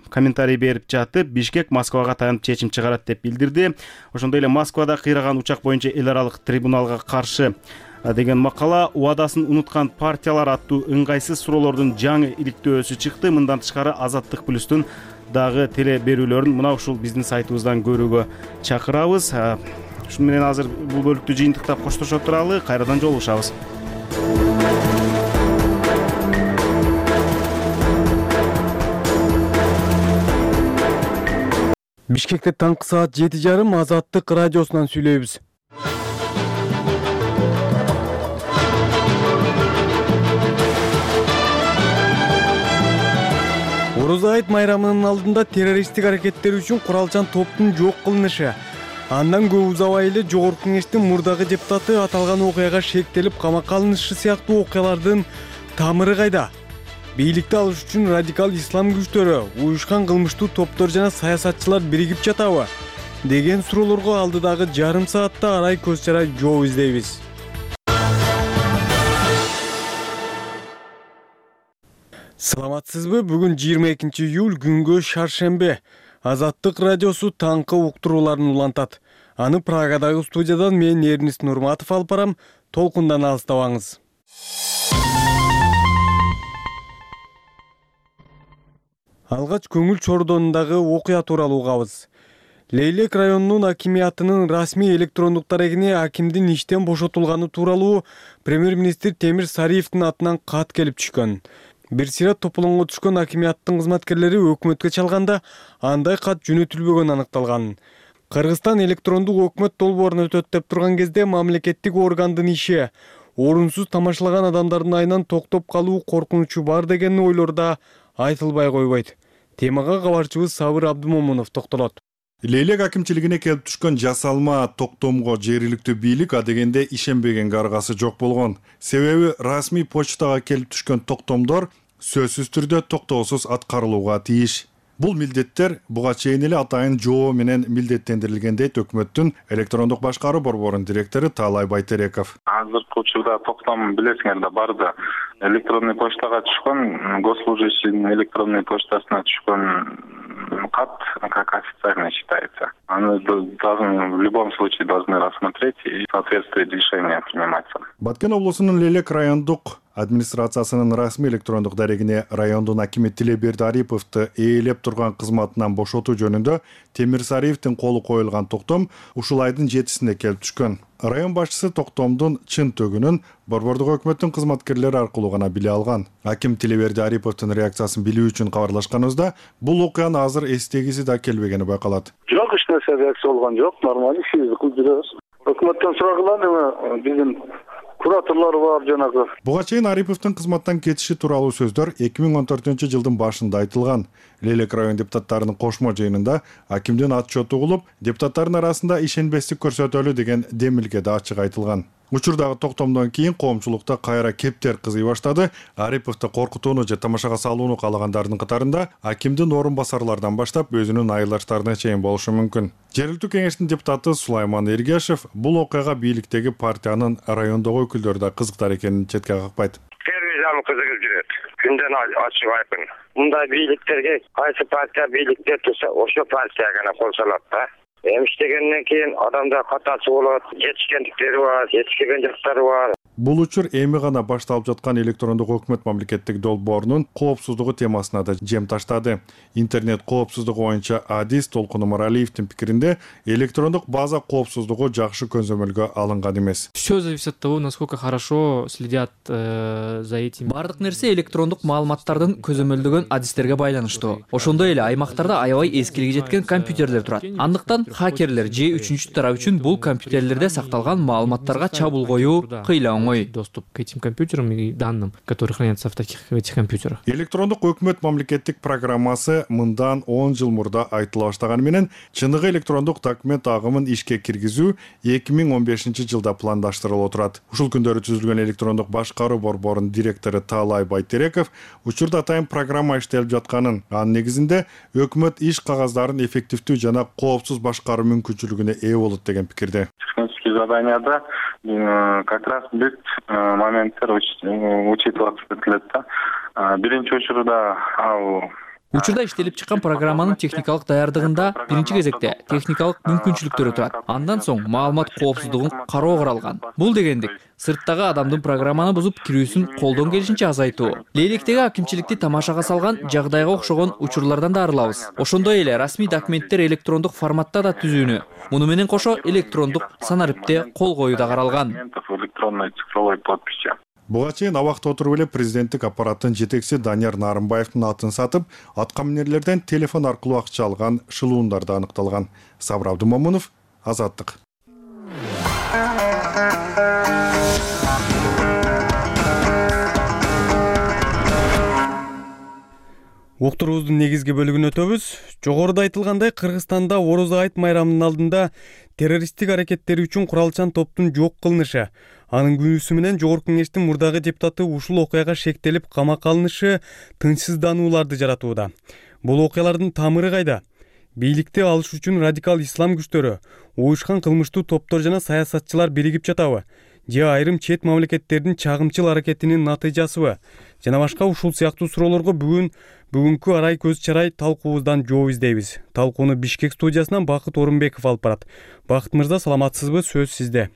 комментарий берип жатып, Бишкек Москвага таянып чечим чыгарат деп билдирди. Ошондой эле Москвада кыйраган учак боюнча эл аралык трибуналга каршы деген макала убадасын унуткан партиялар аттуу ыңгайсыз суроолордун жаңы иликтөөсү чыкты. Мындан тышкары Азаттык плюстун дагы теле берүүлөрүн мына ушул биздин сайтыбыздан көрүүгө чакырабыз. Ушун менен азыр бул бөлүктү жыйынтыктап коштошо туралы, кайрадан жолугушабыз. Бишкекте таңкы саат 7:30 Азаттык радиосунан сүйлөйбүз. Орозо айт майрамынын алдында террористтик аракеттер үчүн куралчан топтун жок кылынышы. Андан көп узабай эле Жогорку Кеңештин мурдагы депутаты аталган окуяга шектелип камакка алынышы сыяктуу окуялардын тамыры кайда? Бийликти алыш үчүн радикал ислам күчтөрү, уюшкан кылмыштуу топтор жана саясатчылар биригип жатабы деген суроолорго алдыдагы жарым саатта арай көз чарай жооп издейбиз. Саламатсызбы? Бүгүн 22 июль күнгө шаршембе. Азаттык радиосу таңкы уктурууларын улантат. Аны Прагадагы студиядан мен Эрнис Нурматов алып барам. Толкундан алыстабаңыз. Алгач көңүл чордонундагы окуя тууралуу угабыз. Лейлек районунун акимиятынын расмий электрондук дарегине акимдин иштен бошотулганы тууралуу премьер-министр Темир Сариевдин атынан кат келип түшкөн. Бир сыйрат тополоңго түшкөн акимияттын кызматкерлери өкмөткө чалганда андай кат жөнөтүлбөгөнү аныкталган. Кыргызстан электрондук өкмөт долбоорун өтөт деп турган кезде мамлекеттик органдын иши орунсуз тамашалаган адамдардын айынан токтоп калуу коркунучу бар деген ойлор да айтылбай койбойт. Темага кабарчыбыз Сабыр Абдымомунов токтолот. Лейлек акимчилигине келип түшкөн жасалма токтомго жергиликтүү бийлик адегенде ишенбегенге аргасы жок болгон. Себеби расмий почтага келип түшкөн токтомдор сөзсүз түрдө токтоосуз аткарылууга тийиш. Бул милдеттер буга чейин эле атайын жоо менен милдеттендирилген дейт өкмөттүн электрондук башкаруу борборунун директору Таалай Байтереков. Азыркы учурда токтом билесиңер да барды. Электронный почтага түшкөн, госслужащийдин электронный почтасына түшкөн кат как официально считается. Они в любом случае должны рассмотреть и в соответствии решения приниматься. Баткен облусунун Лейлек райондук администрациясынын расмий электрондук дарегине райондун акими Тилеберди Ариповду ээлеп турган кызматынан бошотуу жөнүндө Темир Сариевдин колу коюлган токтом ушул айдын 7-синде келип түшкөн. Район башчысы токтомдун чын төгүнүн борбордук өкмөттүн кызматкерлери аркылуу гана биле алган. Аким Тилеберди Ариповдун реакциясын билүү үчүн кабарлашканыбызда бул окуянын азыр эстегиси да келбегени байкалат. Жок, эч нерсе реакция болгон жок, нормалдуу ишибизди кылып жүрөбүз. Өкмөттөн сурагыла эме биздин кураторлор бар жанагы. Буга чейин Ариповдун кызматтан кетиши тууралуу сөздөр 2014-жылдын башында айтылган. Лейлек район депутаттарынын кошмо жыйынында акимдин отчету угулуп, депутаттардын арасында ишенбестик көрсөтөлү деген демилге да ачык айтылган. Учурдагы токтомдон кийин коомчулукта кайра кептер кызый баштады. Ариповду коркутууну же тамашага салууну каалагандардын катарында акимдин орун басарлардан баштап өзүнүн айылдаштарына чейин болушу мүмкүн. Жергиликтүү кеңештин депутаты Сулайман Эргешев бул окуяга бийликтеги партиянын райондогу өкүлдөрү да кызыктар экенин четке какпайт. Телевизион кызыгып жүрөт. Күндөн ачык айкын. Мындай бийликтерге кайсы партия бийликте турса, ошо партия гана кол салат да. Эми иштегенден кийин адамдар катасы болот, жетишкендиктери бар, жетишпеген жактары бар. Бул учур эми гана башталып жаткан электрондук өкмөт мамлекеттик долбоорунун коопсуздугу темасына да жем таштады. Интернет коопсуздугу боюнча адис Толкун Омаралиевдин пикиринде электрондук база коопсуздугу жакшы көзөмөлгө алынган эмес. Все зависит от того, насколько хорошо следят за этим. Бардык нерсе электрондук маалыматтардын көзөмөлдөгөн адистерге байланыштуу. Ошондой эле аймактарда аябай эскилиги жеткен компьютерлер турат. Андыктан хакерлер же үчүнчү тарап үчүн бул компьютерлерде сакталган маалыматтарга чабуул коюу кыйла оңой. Доступ к этим компьютерам и данным, которые хранятся в этих компьютерах. Электрондук өкмөт мамлекеттик программасы мындан 10 жыл мурда айтыла баштаганы менен чыныгы электрондук документ агымын ишке киргизүү 2015 жылда пландаштырылып турат. Ушул күндөрү түзүлгөн электрондук башкаруу борборунун директору Таалай Байтереков учурда атайын программа иштелип жатканын, анын негизинде өкмөт иш кагаздарын эффективдүү жана коопсуз башкаруу мүмкүнчүлүгүнө ээ болот деген пикирде. Технические заданияда как раз бүт моменттер учитываться этилет да. Биринчи учурда Учурда иштелип чыккан программанын техникалык даярдыгында биринчи кезекте техникалык мүмкүнчүлүктөрү турат. Андан соң маалымат коопсуздугун кароо каралган. Бул дегендик сырттагы адамдын программаны бузуп кирүүсүн колдон келишинче азайтуу. Лейлектеги акимчиликти тамашага салган жагдайга окшогон учурлардан да арылабыз. Ошондой эле расмий документтер электрондук форматта да түзүүнү, муну менен кошо электрондук санариптте кол коюу да каралган. Электронной цифровой подписи. Буга чейин абакта отуруп эле президенттик аппараттын жетекчиси Данияр Нарымбаевдин атын сатып, аткаминерлерден телефон аркылуу акча алган шылуундар да аныкталган. Сабыр Абдумомунов, Азаттык. Уктуруубуздун негизги бөлүгүнө өтөбүз. Жогоруда айтылгандай, Кыргызстанда Орозо айт майрамынын алдында террористтик аракеттери үчүн куралчан топтун жок кылынышы, анын күнүүсү менен Жогорку Кеңештин мурдагы депутаты ушул окуяга шектелип камакка алынышы тынчсызданууларды жаратууда. Бул окуялардын тамыры кайда? Бийликти алыш үчүн радикал ислам күчтөрү, уюшкан кылмыштуу топтор жана саясатчылар биригип жатабы? Же айрым чет мамлекеттердин чагымчыл аракетинин натыйжасыбы? Жана башка ушул сыяктуу суроолорго бүгүнкү арай көз чарай талкуубуздан жооп издейбиз. Талкууну Бишкек студиясынан Бакыт Орунбеков алып барат. Бакыт мырза, саламатсызбы? Сөз сизде.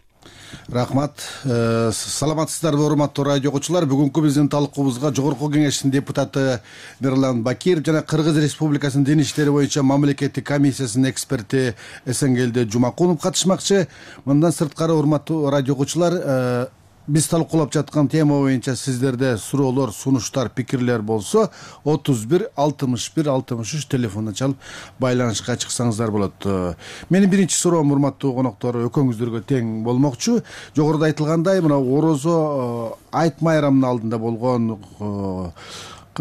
Рахмат. Саламатсыздарбы, урматтуу радио окуучулар? Бүгүнкү биздин талкуубузга Жогорку Кеңештин депутаты Мирлан Бакиров жана Кыргыз Республикасынын дин иштери боюнча мамлекеттик комиссиясынын эксперти Эсенгелди Жумакунов катышмакчы. Мындан сырткары, урматтуу радио окуучулар, биз талкуулап жаткан тема боюнча сиздерде суроолор, сунуштар, пикирлер болсо 31 61 63 телефонуна чалып байланышка чыксаңыздар болот. Менин биринчи суроом, урматтуу коноктор, экөөңүздөргө тең болмокчу. Жогоруда айтылгандай, мына Орозо айт майрамынын алдында болгон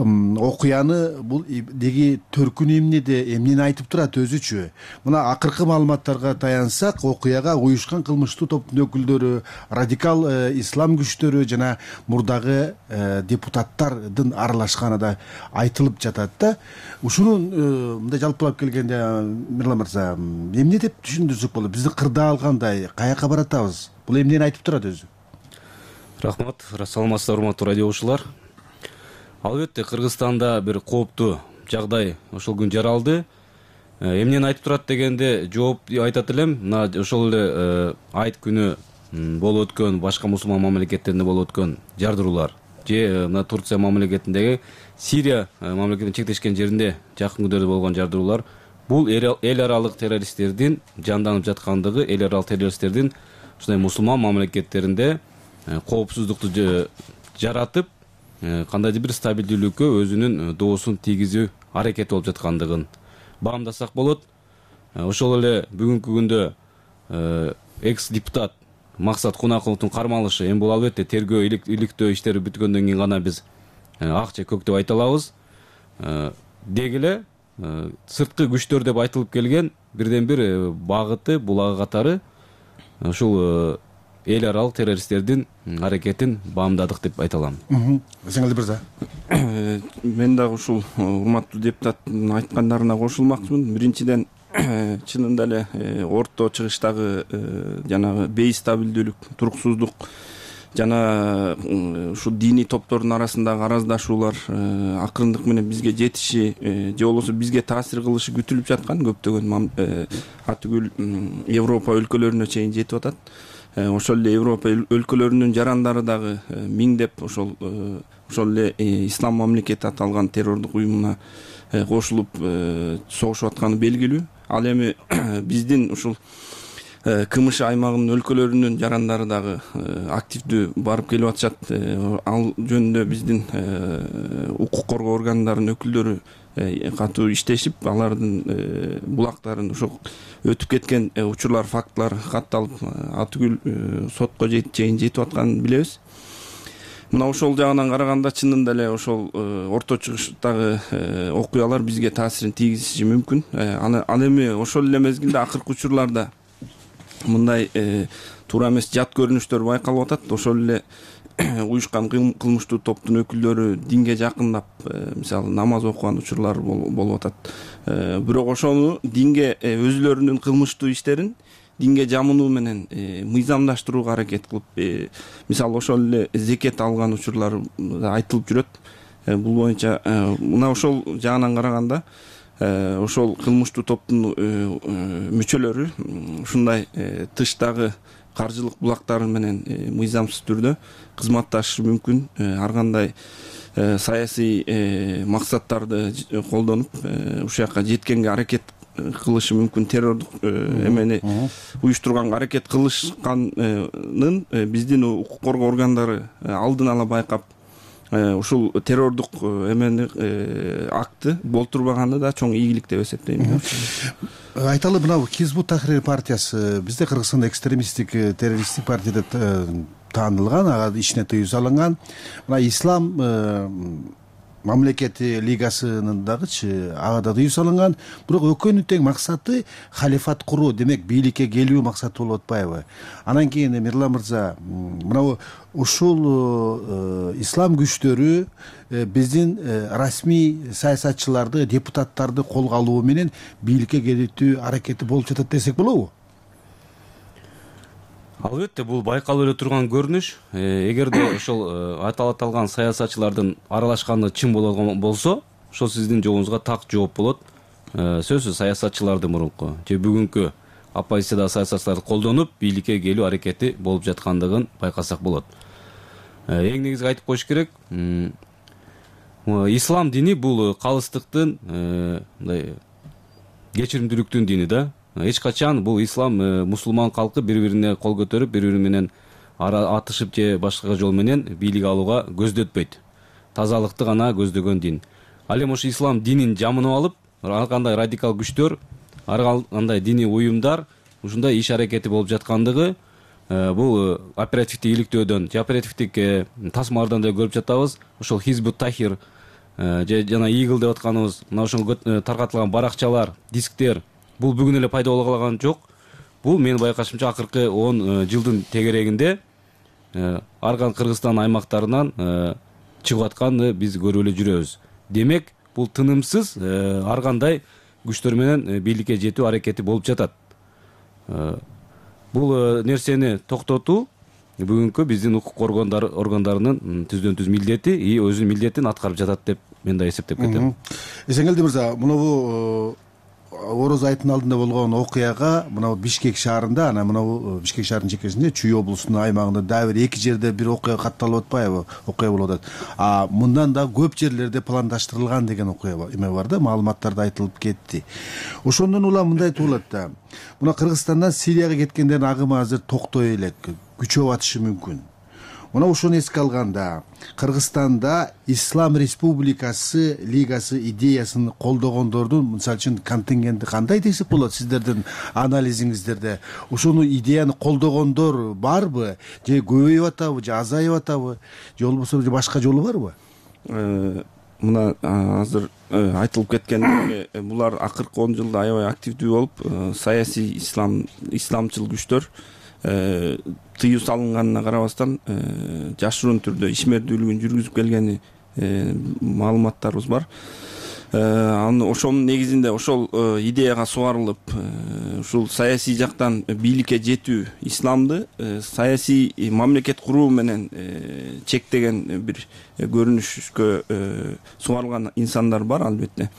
окуяны бул деги төркүнү эмнени айтып турат өзүчү. Мына акыркы маалыматтарга таянсак, окуяга уюшкан кылмыштуу топтун өкүлдөрү, радикал ислам күчтөрү жана мурдагы депутаттардын аралашканы да айтылып жатат да. Ушуну мындай жалпылап келгенде, Мирлан мырза, эмне деп түшүндүрсөк болот? Бизди кырда алгандай каяка баратабыз? Бул эмнени айтып турат өзү? Рахмат, саламатсыздар, урматтуу радио окуучулар. Албетте, Кыргызстанда бир кооптуу жагдай ошол күн жаралды. Эмнени айтып турат дегенде жооп айтат элем. Мына ошол эле айт күнү болуп өткөн, башка мусулман мамлекеттеринде болуп өткөн жардыруулар же мына Турция мамлекетиндеги, Сирия мамлекетинин чектешкен жеринде жакын күндөрдө болгон жардыруулар бул эл аралык террористтердин жанданып жаткандыгы, эл аралык террористтердин ушундай мусулман мамлекеттеринде коопсуздукту жаратып, кандайдыр бир стабилдүүлүккө өзүнүн доосун тийгизүү аракети болуп жаткандыгын баамдасак болот. Ошол эле бүгүнкү күндө экс депутат Максат Кунакуловдун кармалышы, эми бул албетте тергөө иликтөө иштери бүткөндөн кийин гана биз ак же көк деп айта алабыз. Деги эле сырткы күчтөр деп айтылып келген бирден бир багыты, булагы катары ушул эл аралык террористтердин аракетин баамдадык деп айта алам. Эсенгелди мырза. Мен дагы ушул урматтуу депутаттын айткандарына кошулмакчымын. Биринчиден, чынында эле орто чыгыштагы жанагы бейстабилдүүлүк, туруксуздук жана ушу диний топтордун арасындагы араздашуулар акырындык менен бизге жетиши же болбосо бизге таасир кылышы күтүлүп жаткан көптөгөн атүгүл Европа өлкөлөрүнө чейин жетип атат. ошол эле Европа өлкөлөрүнүн жарандары дагы миңдеп ошол эле ислам мамлекети аталган террордук уюмуна кошулуп согушуп атканы белгилүү. Ал эми биздин ушул КМШ аймагынын өлкөлөрүнүн жарандары дагы активдүү барып келип атышат. Ал жөнүндө биздин укук коргоо органдарынын өкүлдөрү катуу иштешип, алардын булактарын ошол өтүп кеткен учурлар, фактылар катталып, атүгүл сотко чейин жетип атканын билебиз. Мына ошол жагынан караганда чынында эле ошол орто чыгыштагы окуялар бизге таасирин тийгизиши мүмкүн. Ал эми ошол эле мезгилде акыркы учурларда мындай туура эмес жат көрүнүштөр байкалып атат. Ошол эле уюшкан кылмыштуу топтун өкүлдөрү динге жакындап, мисалы намаз окуган учурлар болуп атат. Бирок ошону динге өзүлөрүнүн кылмыштуу иштерин динге жамынуу менен мыйзамдаштырууга аракет кылып, мисалы ошол эле зекет алган учурлар айтылып жүрөт. Бул боюнча мына ошол жагынан караганда ошол кылмыштуу топтун мүчөлөрү ушундай тыштагы каржылык булактары менен мыйзамсыз түрдө кызматташышы мүмкүн. Ар кандай саясий максаттарды колдонуп ушул жака жеткенге аракет кылышы мүмкүн. Террордук эмени уюштурганга аракет кылышканын биздин укук коргоо органдары алдын ала байкап, ушул террордук эмени акты болтурбаганы да чоң ийгилик деп эсептейм. Айталы, мына Хизбут Тахрир партиясы бизде Кыргызстанда экстремисттик террористтик партия деп таанылган, ага ишине тыюу салынган. Мына Ислам мамлекети лигасынын дагычы ага да тыюу салынган. Бирок экөөнүн тең максаты халифат куруу, демек бийликке келүү максаты болуп атпайбы? Анан кийин Мирлан мырза, мына ушул ислам күчтөрү биздин расмий саясатчыларды, депутаттарды колго алуу менен бийликке келүүтүү аракети болуп жатат десек болобу? Албетте, бул байкалып эле турган көрүнүш. Эгерде ошол аталган саясатчылардын аралашканы чын болгон болсо, ошол сиздин жообуңузга так жооп болот. Сөзсүз саясатчыларды мурунку же бүгүнкү оппозициядагы саясатчыларды колдонуп бийликке келүү аракети болуп жаткандыгын байкасак болот. Эң негизги айтып коюш керек, ислам дини бул калыстыктын, мындай кечиримдүүлүктүн дини да. Эч качан бул ислам мусулман калкы бири-бирине кол көтөрүп, бири-бири менен атышып же башка жол менен бийлик алууга көздөтпөйт. Тазалыкты гана көздөгөн дин. Ал эми ошо ислам динин жамынып алып, ар кандай радикал күчтөр, ар кандай диний уюмдар ушундай иш аракети болуп жаткандыгы бул оперативдик иликтөөдөн же оперативдик тасмалардан да көрүп жатабыз. Ошол Хизбут Тахир же жана Игл деп атканыбыз, мына ошол таркатылган баракчалар, дисктер бул бүгүн эле пайда боло калган жок. Бул менин байкашымча акыркы 10 жылдын тегерегинде арган Кыргызстан аймактарынан чыгып атканды биз көрүп эле жүрөбүз. Демек, бул тынымсыз ар кандай күчтөр менен бийликке жетүү аракети болуп жатат. Бул нерсени токтотуу бүгүнкү биздин укук коргоо органдарынын түздөн-түз милдети, өзүнүн милдетин аткарып жатат деп мен да эсептеп кетем. Эсенгелди мырза, мынабу Ороз айттын алдында болгон окуяга мына Бишкек шаарында, анан мына Бишкек шаарынын чекесинде Чүй облусунун аймагында дагы бир 2 жерде бир окуя катталып атпайбы? Окуя болуп атат. Мындан да көп жерлерде пландаштырылган деген окуя эме бар да, маалыматтарда айтылып кетти. Ошондон улам мындай туулат да. Мына Кыргызстандан Сирияга кеткендердин агымы азыр токтой элек, күчөп атышы мүмкүн. Мына ошону эске алганда, Кыргызстанда Ислам Республикасы лигасы идеясын колдогондордун, мисалы үчүн, контингенти кандай десек болот сиздердин анализиңиздерде? Ошону идеяны колдогондор барбы? Же көбөйүп атабы, же азайып атабы? Же болбосо башка жолу барбы? Мына азыр айтылып кеткендей, булар акыркы 10 жылда аябай активдүү болуп, саясий исламчыл күчтөр тыюу салынганына карабастан жашыруун түрдө ишмердүүлүгүн жүргүзүп келгени маалыматтарыбыз бар. ошонун негизинде ошол идеяга сугарылып ушул саясий жактан бийликке жетүү исламды саясий мамлекет куруу менен чектеген бир көрүнүшкө сугарылган инсандар бар албетте.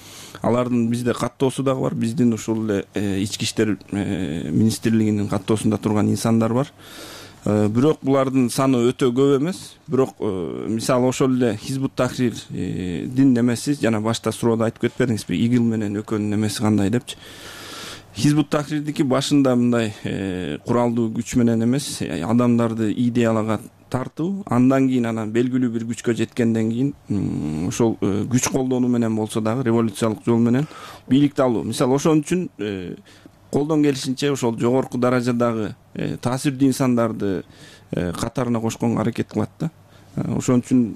Алардын бизде каттоосу дагы бар, биздин ушул эле ички иштер министрлигинин каттоосунда турган инсандар бар. Бирок булардын саны өтө көп эмес. Бирок мисалы ошол эле Хизбут Тахрирдин немеси жана башта суроода айтып кетпедиңизби, ИГИЛ менен экөөнүн немеси кандай депчи. Хизбут Тахрирдики башында мындай куралдуу күч менен эмес, адамдарды идеяларга тартуу, андан кийин анан белгилүү бир күчкө жеткенден кийин ошол күч колдонуу менен болсо дагы революциялык жол менен бийликти алуу. Мисалы ошон үчүн колдон келишинче ошол жогорку даражадагы таасирдүү инсандарды катарына кошконго аракет кылат да. Ошон үчүн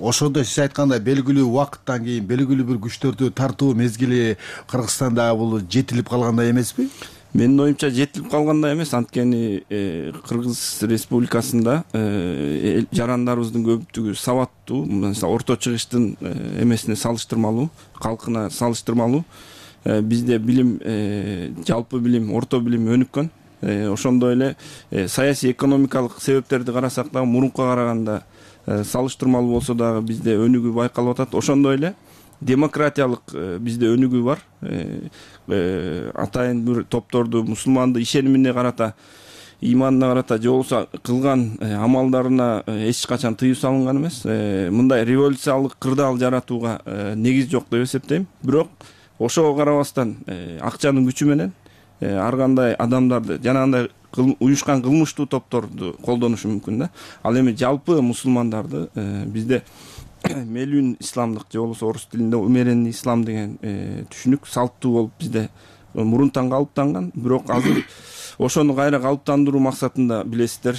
ошондо сиз айткандай белгилүү убакыттан кийин белгилүү бир күчтөрдү тартуу мезгили Кыргызстанда бул жетилип калгандай эмеспи? Менин оюмча жетилип калгандай эмес, анткени Кыргыз Республикасында жарандарыбыздын көпчүлүгү сабаттуу, мисалы орто чыгыштын эмесине салыштырмалуу, калкына салыштырмалуу. Бизде билим, жалпы билим, орто билим өнүккөн. Ошондой эле саясий экономикалык себептерди карасак дагы мурункуга караганда салыштырмалуу болсо дагы бизде өнүгүү байкалып атат. Ошондой эле демократиялык бизде өнүгүү бар. Атайын бир топторду мусулманды ишенимине карата, иманына карата же болбосо кылган амалдарына эч качан тыюу салынган эмес. Мындай революциялык кырдаал жаратууга негиз жок деп эсептейм. Бирок ошого карабастан акчанын күчү менен ар кандай адамдарды жанагындай уюшкан кылмыштуу топторду колдонушу мүмкүн да. Ал эми жалпы мусулмандарды бизде мелүн исламдык же болбосо орус тилинде умеренный ислам деген түшүнүк салттуу болуп бизде мурунтан калыптанган. Бирок азыр ошону кайра калыптандыруу максатында билесиздер,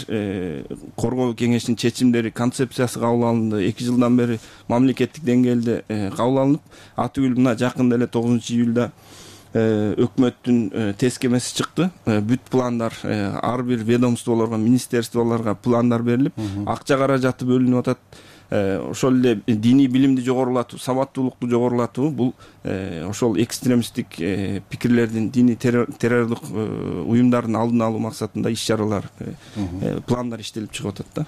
коргоо кеңешинин чечимдери, концепциясы кабыл алынды. 2 жылдан бери мамлекеттик деңгээлде кабыл алынып, атүгүл мына жакында эле 9-июлда өкмөттүн тескемеси чыкты. Бүт пландар ар бир ведомстволорго, министерстволорго пландар берилип, акча каражаты бөлүнүп атат. Ошол эле диний билимди жогорулатуу, сабаттуулукту жогорулатуу, бул ошол экстремисттик пикирлердин, диний террорлук уюмдардын алдын алуу максатында иш-чаралар, пландар иштелип чыгып атат да.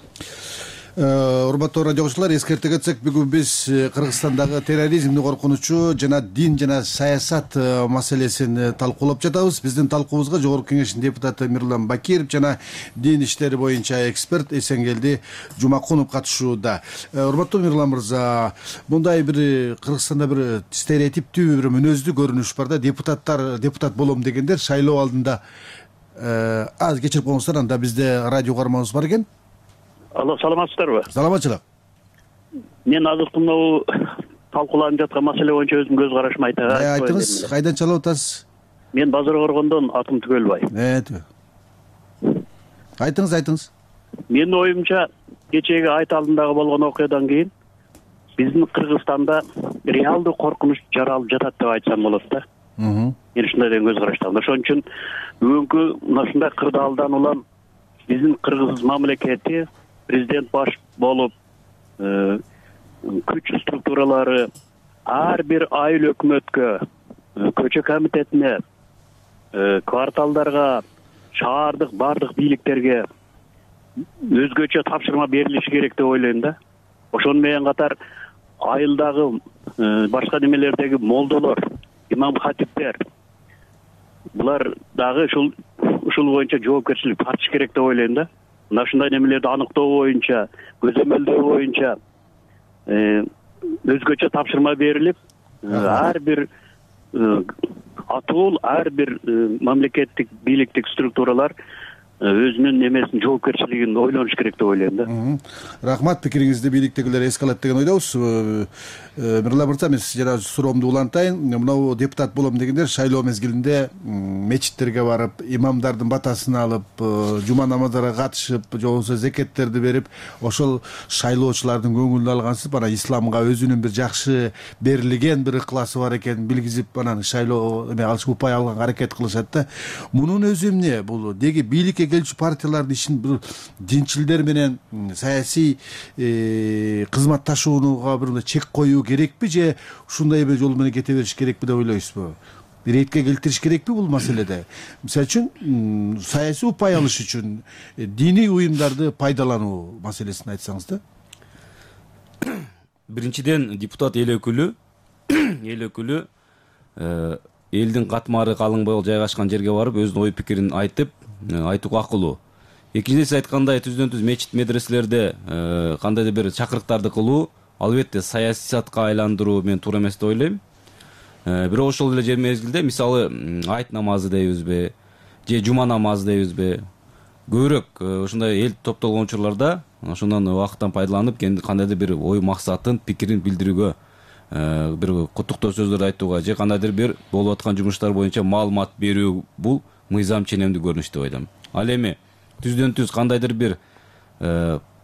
Урматтуу радио угуучулар, эскерте кетсек, бүгүн биз Кыргызстандагы терроризмдин коркунучу жана дин жана саясат маселесин талкуулап жатабыз. Биздин талкуубузга Жогорку Кеңештин депутаты Мирлан Бакиров жана дин иштери боюнча эксперт Эсенгелди Жумакунов катышууда. Урматтуу Мирлан мырза, мындай бир Кыргызстанда бир стереотиптүү бир мүнөздүү көрүнүш бар да, депутат болом дегендер шайлоо алдында аз кечирип коюңуздар, анда бизде радио карманыбыз бар экен. Алло, саламатсыздарбы? Саламатчылык. Мен азыркы мынау талкууланып жаткан маселе боюнча өзүмдүн көз карашымы айтайын. Айтыңыз, кайдан чалып атасыз? Мен Базар Коргондон, атым Түгөлбай. Айтыңыз. Менин оюмча, кечеги айт алдындагы болгон окуядан кийин биздин Кыргызстанда реалдуу коркунуч жаралып жатат деп айтсам болот да. Мен ушундай деген көз караштамын. Ошон үчүн бүгүнкү мына ушундай кырдаалдан улам биздин Кыргыз мамлекети, президент баш болуп, күч структуралары ар бир айыл өкмөткө, көчө комитетине, кварталдарга, шаардык бардык бийликтерге өзгөчө тапшырма берилиши керек деп ойлойм да. Ошону менен катар айылдагы башка немелердеги молдолор, имам хатиптер, булар дагы ушул боюнча жоопкерчилик тартыш керек деп ойлойм да. Мына ушундай немелерди аныктоо боюнча, көзөмөлдөө боюнча өзгөчө тапшырма берилип, ар бир атуул, ар бир мамлекеттик бийликтик структуралар өзүнүн немесин, жоопкерчилигин ойлонуш керек деп ойлойм да. Рахмат, пикириңизди бийликтегилер эске алат деген ойдобуз. Мирлан мырза, мен жана суроомду улантайын. Мынау депутат болом дегендер шайлоо мезгилинде мечиттерге барып имамдардын батасын алып жума намаздарга катышып же болбосо зекеттерди берип ошол шайлоочулардын көңүлүн алгансыз анан исламга өзүнүн бир жакшы берилген бир ыкласы бар экенин билгизип анан шайлоо алыш упай алганга аракет кылышат да. Мунун өзү эмне бул деги бийликке келчү партиялардын ишин бир динчилдер менен саясий кызматташууга бир чек коюу керекпи же ушундай бир жол менен кете бериш керекпи деп ойлойсузбу? Иретке келтириш керекпи бул маселеде? Мисалы үчүн саясий упай алыш үчүн диний уюмдарды пайдалануу маселесин айтсаңыз да. Биринчиден депутат эл өкүлү элдин катмары калың болуп жайгашкан жерге барып өзүнүн ой пикирин айтууга акылуу. Экинчиден сиз айткандай түздөн түз мечит медреселерде кандайдыр бир чакырыктарды кылуу албетте саясатка айландыруу мен туура эмес деп ойлойм. Бирок ошол эле мезгилде мисалы айт намазы дейбизби же жума намазы дейбизби көбүрөөк ушундай эл топтолгон учурларда ошондон убакыттан пайдаланып кандайдыр бир ой максатын пикирин билдирүүгө бир куттуктоо сөздөрдү айтууга же кандайдыр бир болуп аткан жумуштар боюнча маалымат берүү бул мыйзам ченемдүү көрүнүш деп ойлойм. Ал эми түздөн түз кандайдыр бир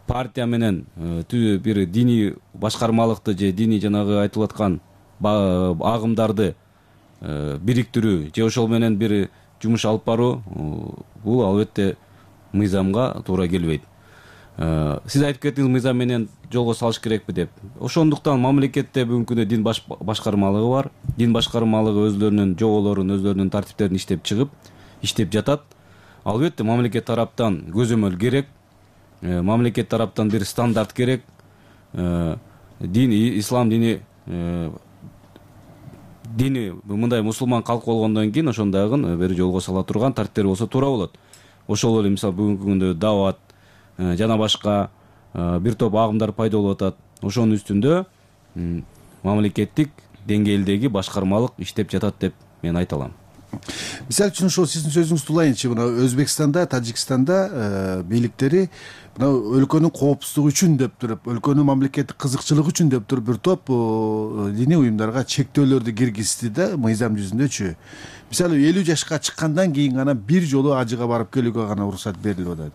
партия менен бир диний башкармалыкты же диний жанагы айтылып аткан агымдарды бириктирүү же ошол менен бир жумуш алып баруу бул албетте мыйзамга туура келбейт. Сиз айтып кеттиңиз мыйзам менен жолго салыш керекпи деп. Ошондуктан мамлекетте бүгүнкү күндө дин башкармалыгы бар. Дин башкармалыгы өзлөрүнүн жоболорун, өзлөрүнүн тартиптерин иштеп чыгып, иштеп жатат. Албетте мамлекет тараптан көзөмөл керек. Мамлекет тараптан бир стандарт керек. Ислам дини мындай мусулман калк болгондон кийин ошондагы бир жолго сала турган тартиптер болсо туура болот. Ошол эле мисалы бүгүнкү күндө дават жана башка бир топ агымдар пайда болуп атат. Ошонун үстүндө мамлекеттик деңгээлдеги башкармалык иштеп жатат деп мен айта алам. Мисалы үчүн ошол сиздин сөзүңүздү улайынчы, мына Өзбекстанда, Тажикстанда бийликтери мына өлкөнүн коопсуздугу үчүн деп туруп, өлкөнүн мамлекеттик кызыкчылыгы үчүн деп туруп бир топ диний уюмдарга чектөөлөрдү киргизди да мыйзам жүзүндөчү. Мисалы 50 жашка чыккандан кийин гана бир жолу ажыга барып келүүгө гана уруксат берилип атат.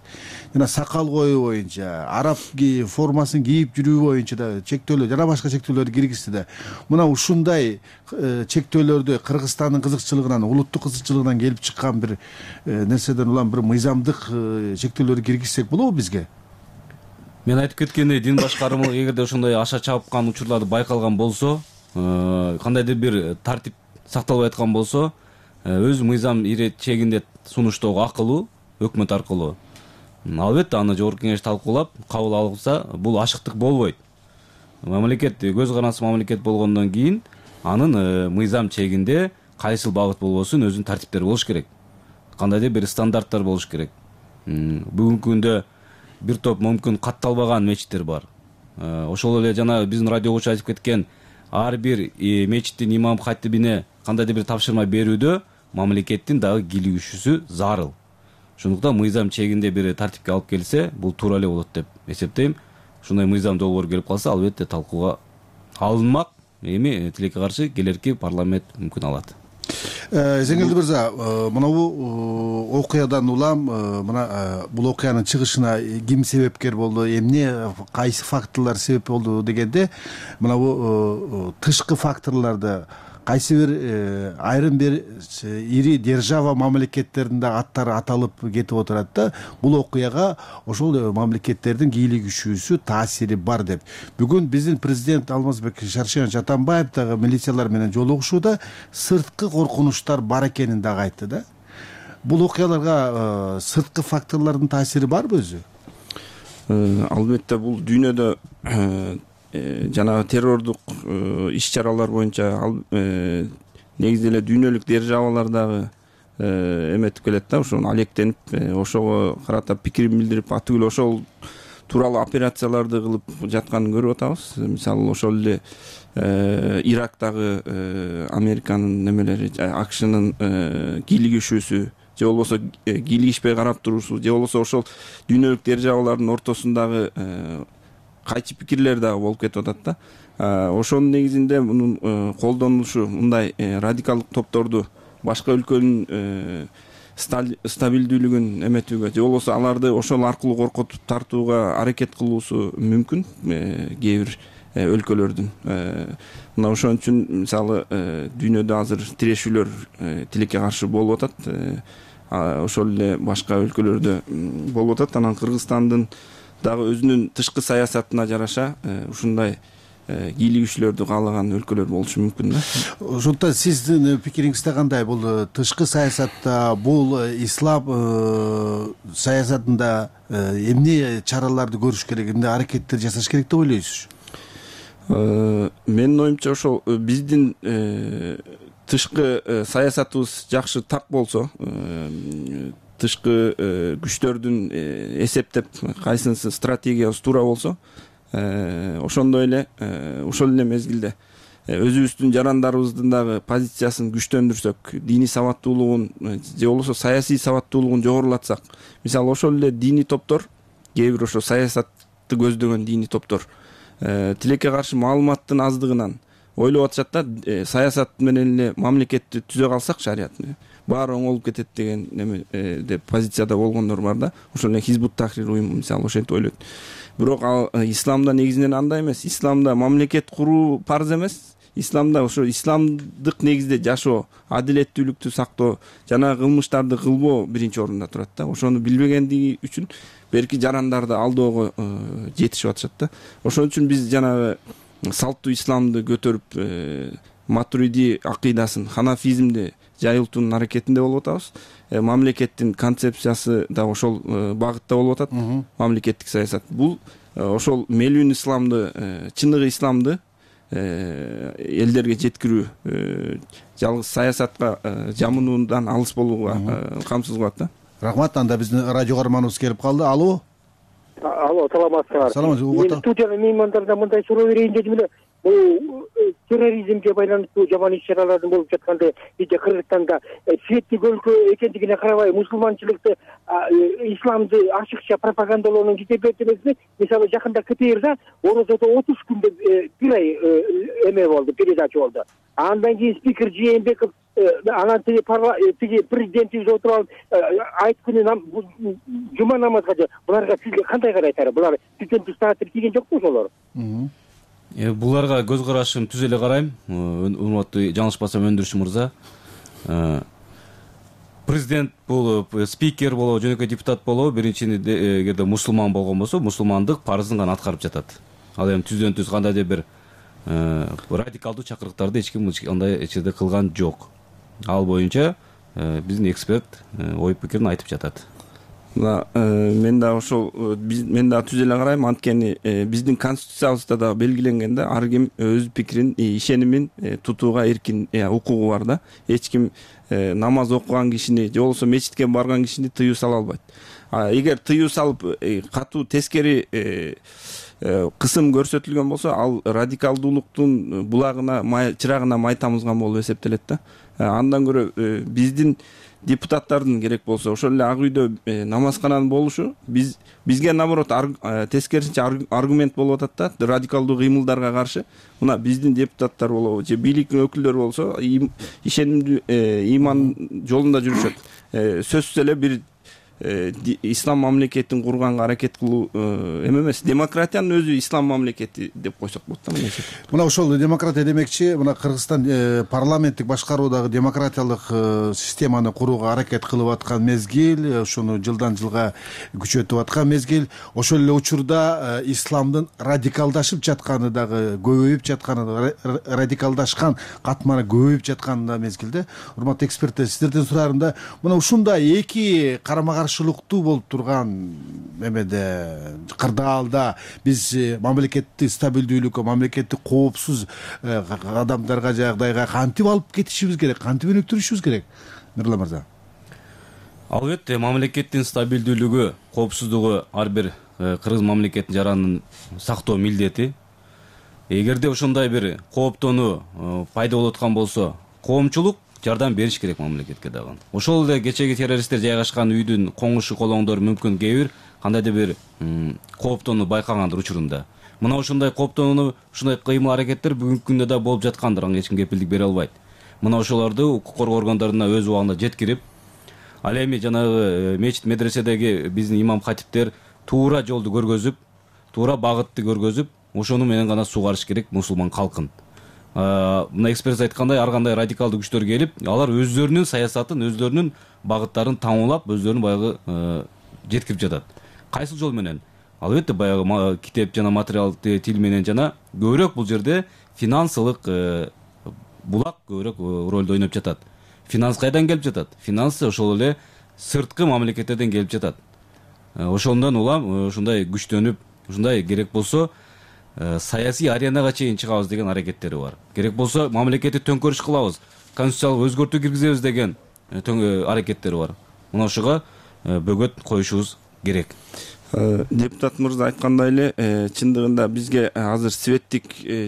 Жана сакал коюу боюнча, араб формасын кийип жүрүү боюнча да чектөөлөр жана башка чектөөлөрдү киргизди да. Мына ушундай чектөөлөрдү Кыргызстандын кызыкчылыгынан, улуттук кызыкчылыгынан келип чыккан бир нерседен улам бир мыйзамдык чектөөлөрдү киргизсек болобу бизге? Мен айтып кеткендей, дин башкармалыгы эгерде ошондой аша чапкан учурларды байкалган болсо, кандайдыр бир тартип сакталбай аткан болсо, өз мыйзам чегинде сунуштоого акылуу өкмөт аркылуу. Албетте аны жогорку кеңеш талкуулап, кабыл алса, бул ашыктык болбойт. Мамлекет көз карандысы мамлекет болгондон кийин анын мыйзам чегинде кайсыл багыт болбосун өзүнүн тартиптери болуш керек. Кандайдыр бир стандарттар болуш керек. Бүгүнкү күндө бир топ мүмкүн катталбаган мечиттер бар. Ошол эле жана биздин радиогучу айтып кеткен ар бир мечиттин имам хатибине кандайдыр бир тапшырма берүүдө мамлекеттин дагы кийлигишүүсү зарыл. Ошондуктан мыйзам чегинде бир тартипке алып келсе, бул туура эле болот деп эсептейм. Ушундай мыйзам долбоор келип калса, албетте талкууга алынмак. Эми тилекке каршы келерки парламент мүмкүн алат. Эзеңгелди мырза, мына бул окуядан улам мына бул окуянын чыгышына ким себепкер болду, эмне кайсы факторлор себеп болду дегенде, мына бул тышкы факторлорду кайсы бир айрым бир ири держава мамлекеттердин да аттары аталып кетип отурат да, бул окуяга ошол мамлекеттердин кийлигишүүсү таасири бар деп. Бүгүн биздин президент Алмазбек Шаршенович Атамбаев дагы милициялар менен жолугушууда сырткы коркунучтар бар экенин дагы айтты да. Бул окуяларга сырткы факторлордун таасири барбы өзү? Албетте бул дүйнөдө жанагы террордук иш-чаралар боюнча негизи эле дүйнөлүк державалар дагы эметип келет да, ошону алектенип, ошого карата пикирин билдирип, атүгүл ошол тууралуу операцияларды кылып жатканын көрүп атабыз. Мисалы ошол эле Ирактагы Американын немелери, АКШнын кийлигишүүсү, же болбосо кийлигишпей карап туруусу, же болбосо ошол дүйнөлүк державалардын ортосундагы кайчы пикирлер дагы болуп кетип атат да. Ошонун негизинде мунун колдонулушу, мындай радикалдык топторду башка өлкөнүн стабилдүүлүгүн эметүүгө же болбосо аларды ошол аркылуу коркутуп тартууга аракет кылуусу мүмкүн кээ бир өлкөлөрдүн. Мына ошон үчүн мисалы дүйнөдө азыр тирешүүлөр тилекке каршы болуп атат. Ошол эле башка өлкөлөрдө болуп атат. Анан Кыргызстандын дагы өзүнүн тышкы саясатына жараша ушундай кийлигүүчүлөрдү каалаган өлкөлөр болушу мүмкүн да. Ошондуктан сиздин пикириңизде кандай? Бул тышкы саясатта, бул ислам саясатында эмне чараларды көрүш керек, эмне аракеттер жасаш керек деп ойлойсуз? Менин оюмча ошол биздин тышкы саясатыбыз жакшы так болсо, тышкы күчтөрдүн эсептеп кайсынысы стратегиябыз туура болсо, ошондой эле ошол эле мезгилде өзүбүздүн жарандарыбыздын дагы позициясын күчтөндүрсөк, диний сабаттуулугун же болбосо саясий сабаттуулугун жогорулатсак, мисалы ошол эле диний топтор, кээ бир ошо саясатты көздөгөн диний топтор тилекке каршы маалыматтын аздыгынан ойлоп атышат да, саясат менен эле мамлекетти түзө калсак, шариятны баары оң болуп кетет деген неме деп позицияда болгондор бар да. Ошол эле Хизбут Тахрир уюму мисалы ошентип ойлойт. Бирок ал исламда негизинен андай эмес. Исламда мамлекет куруу парз эмес. Исламда ошо исламдык негизде жашоо, адилеттүүлүктү сактоо жана кылмыштарды кылбоо биринчи орунда турат да. Ошону билбегендиги үчүн берки жарандарды алдоого жетишип атышат да. Ошон үчүн биз жанагы салттуу исламды көтөрүп, матуриди акыйдасын, ханафизмди жайылтуунун аракетинде болуп атабыз. Мамлекеттин концепциясы да ошол багытта болуп атат. Мамлекеттик саясат бул ошол мелүүн исламды, чыныгы исламды элдерге жеткирүү, жалгыз саясатка жамынуудан алыс болууга камсыз кылат да. Рахмат. Анда биздин радио каарманыбыз келип калды. Алло, саламатсызбы? Саламатсызбы. Студияда меймандардан мындай суроо берейин дедим эле. Бул терроризмге байланыштуу жаман иш-чаралардын болуп жатканда бизде Кыргызстанда светтик өлкө экендигине карабай мусулманчылыкты, исламды ачыкча пропагандалоонун жетебейт эмеси. Мисалы жакында КТРда орозодо 30 күндө бир ай эме болду, передача болду. Андан кийин спикер Жээнбеков анан тиги президентибиз отуруп алып айт күнү жума намазга буларга сизге кандай карайсыздар? Булар президенттик статус тийген жокпу ошолор? Буларга көз карашым түз эле карайм. Урматтуу жаңылышпасам өндүрүш мырза. Президент болуп, спикер болобу, жөнөкөй депутат болобу, биринчиден эгерде мусулман болгон болсо, мусулмандык парызын гана аткарып жатат. Ал эми түздөн түз кандайдыр бир радикалдуу чакырыктарды эч ким андай эчеде кылган жок. Ал боюнча биздин эксперт ой пикирин айтып жатат. Мен да ошол мен да түз эле карайм. Анткени биздин конституциябызда да белгиленген да, ар ким өз пикирин, ишенимин тутууга эркин укугу бар да. Эч ким намаз окуган кишини же болбосо мечитке барган кишини тыюу сала албайт. Эгер тыюу салып катуу тескери кысым көрсөтүлгөн болсо, ал радикалдуулуктун булагына, чырагына май тамызган болуп эсептелет да. Андан көрө биздин депутаттардын керек болсо ошол эле ак үйдө намазкананын болушу бизге наоборот тескерисинче аргумент болуп атат да, радикалдуу кыймылдарга каршы. Мына биздин депутаттар болобу же бийликтин өкүлдөрү болсо ишенимдүү ыйман жолунда жүрүшөт. Сөзсүз эле бир ислам мамлекетин курганга аракет кылуу эме эмес. Демократиянын өзү ислам мамлекети деп койсок болот да. Мына ошол демократия демекчи, мына Кыргызстан парламенттик башкаруудагы демократиялык системаны курууга аракет кылып аткан мезгил, ошону жылдан жылга күчөтүп аткан мезгил. Ошол эле учурда исламдын радикалдашып жатканы дагы, көбөйүп жатканы, радикалдашкан катмары көбөйүп жатканы да мезгилде. Урматтуу эксперттер, сиздерден сураарым да, мына ушундай эки карама-каршылыктуу болуп турган эмеде, кырдаалда биз мамлекеттик стабилдүүлүккө, мамлекеттик коопсуз адамдарга, жагдайга кантип алып кетишибиз керек, кантип өнүктүрүшүбүз керек, Мирлан мырза? Албетте, мамлекеттин стабилдүүлүгү, коопсуздугу ар бир кыргыз мамлекетинин жаранын сактоо милдети. Эгерде ошондой бир кооптонуу пайда болуп аткан болсо, коомчулук жардам бериш керек мамлекетке дагы. Ошол эле кечеги террористтер жайгашкан үйдүн коңушу колоңдор мүмкүн кээ бир кандайдыр бир кооптонуу байкагандыр учурунда. Мына ошондой кооптонуу, ушундай кыймыл аракеттер бүгүнкү күндө да болуп жаткандыр, ага эч ким кепилдик бере албайт. мына ошолорду укук коргоо органдарына өз убагында жеткирип, ал эми жанагы мечит медреседеги биздин имам хатиптер туура жолду көргөзүп, туура багытты көргөзүп, ошону менен гана сугарыш керек мусулман калкын. Мына эксперт айткандай, ар кандай радикалдуу күчтөр келип, алар өздөрүнүн саясатын, өздөрүнүн багыттарын таңуулап, өздөрүнүн баягы жеткирип жатат. Кайсыл жол менен? Албетте баягы китеп жана материал тил менен жана көбүрөөк бул жерде финансылык булак көбүрөөк ролду ойноп жатат. Финанс кайдан келип жатат? Финансы ошол эле сырткы мамлекеттерден келип жатат. Ошондон улам ушундай күчтөнүп, ушундай керек болсо саясий аренага чейин чыгабыз деген аракеттери бар. Керек болсо мамлекетти төңкөрүш кылабыз, конституциялык өзгөртүү киргизебиз деген аракеттери бар. Мына ошого бөгөт коюшубуз керек. Депутат мырза айткандай эле, чындыгында бизге азыр светтик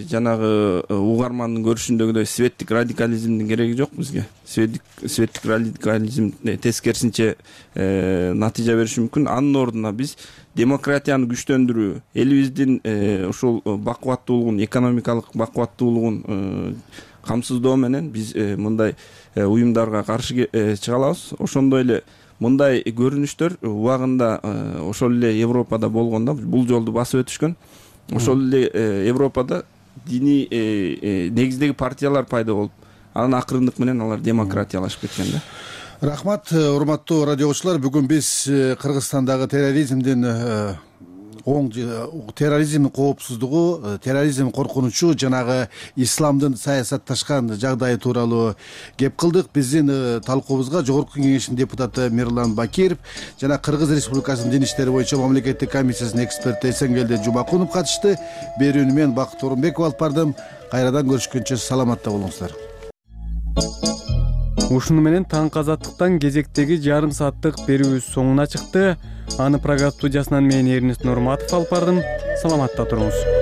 жанагы угармандын көрүшүндөгүдөй светтик радикализмдин кереги жок бизге. Светтик радикализм тескерисинче натыйжа бериши мүмкүн. Анын ордуна биз демократияны күчтөндүрүү, элибиздин ушул бакубаттуулугун, экономикалык бакубаттуулугун камсыздоо менен биз мындай уюмдарга каршы чыга алабыз. Ошондой эле мындай көрүнүштөр убагында ошол эле Европада болгондо бул жолду басып өтүшкөн. Ошол эле Европада диний негиздеги партиялар пайда болуп, анан акырындык менен алар демократиялашып кеткен да. Рахмат, урматтуу радио угуучулар. Бүгүн биз Кыргызстандагы терроризмдин коопсуздугу, терроризм коркунучу, жанагы исламдын саясатташкан жагдайы тууралуу кеп кылдык. Биздин талкуубузга Жогорку Кеңештин депутаты Мирлан Бакиров жана Кыргыз Республикасынын дин иштери боюнча мамлекеттик комиссиясынын эксперти Эсенгелди Жумакунов катышты. Берүүнү мен Бакыт Орунбеков алып бардым. Кайрадан көрүшкөнчө саламатта болуңуздар. Ушуну менен таңкы азаттыктан кезектеги жарым сааттык берүүбүз соңуна чыкты. Аны программа студиясынан мен Эрнест Нурматов алып бардым. Саламатта туруңуз.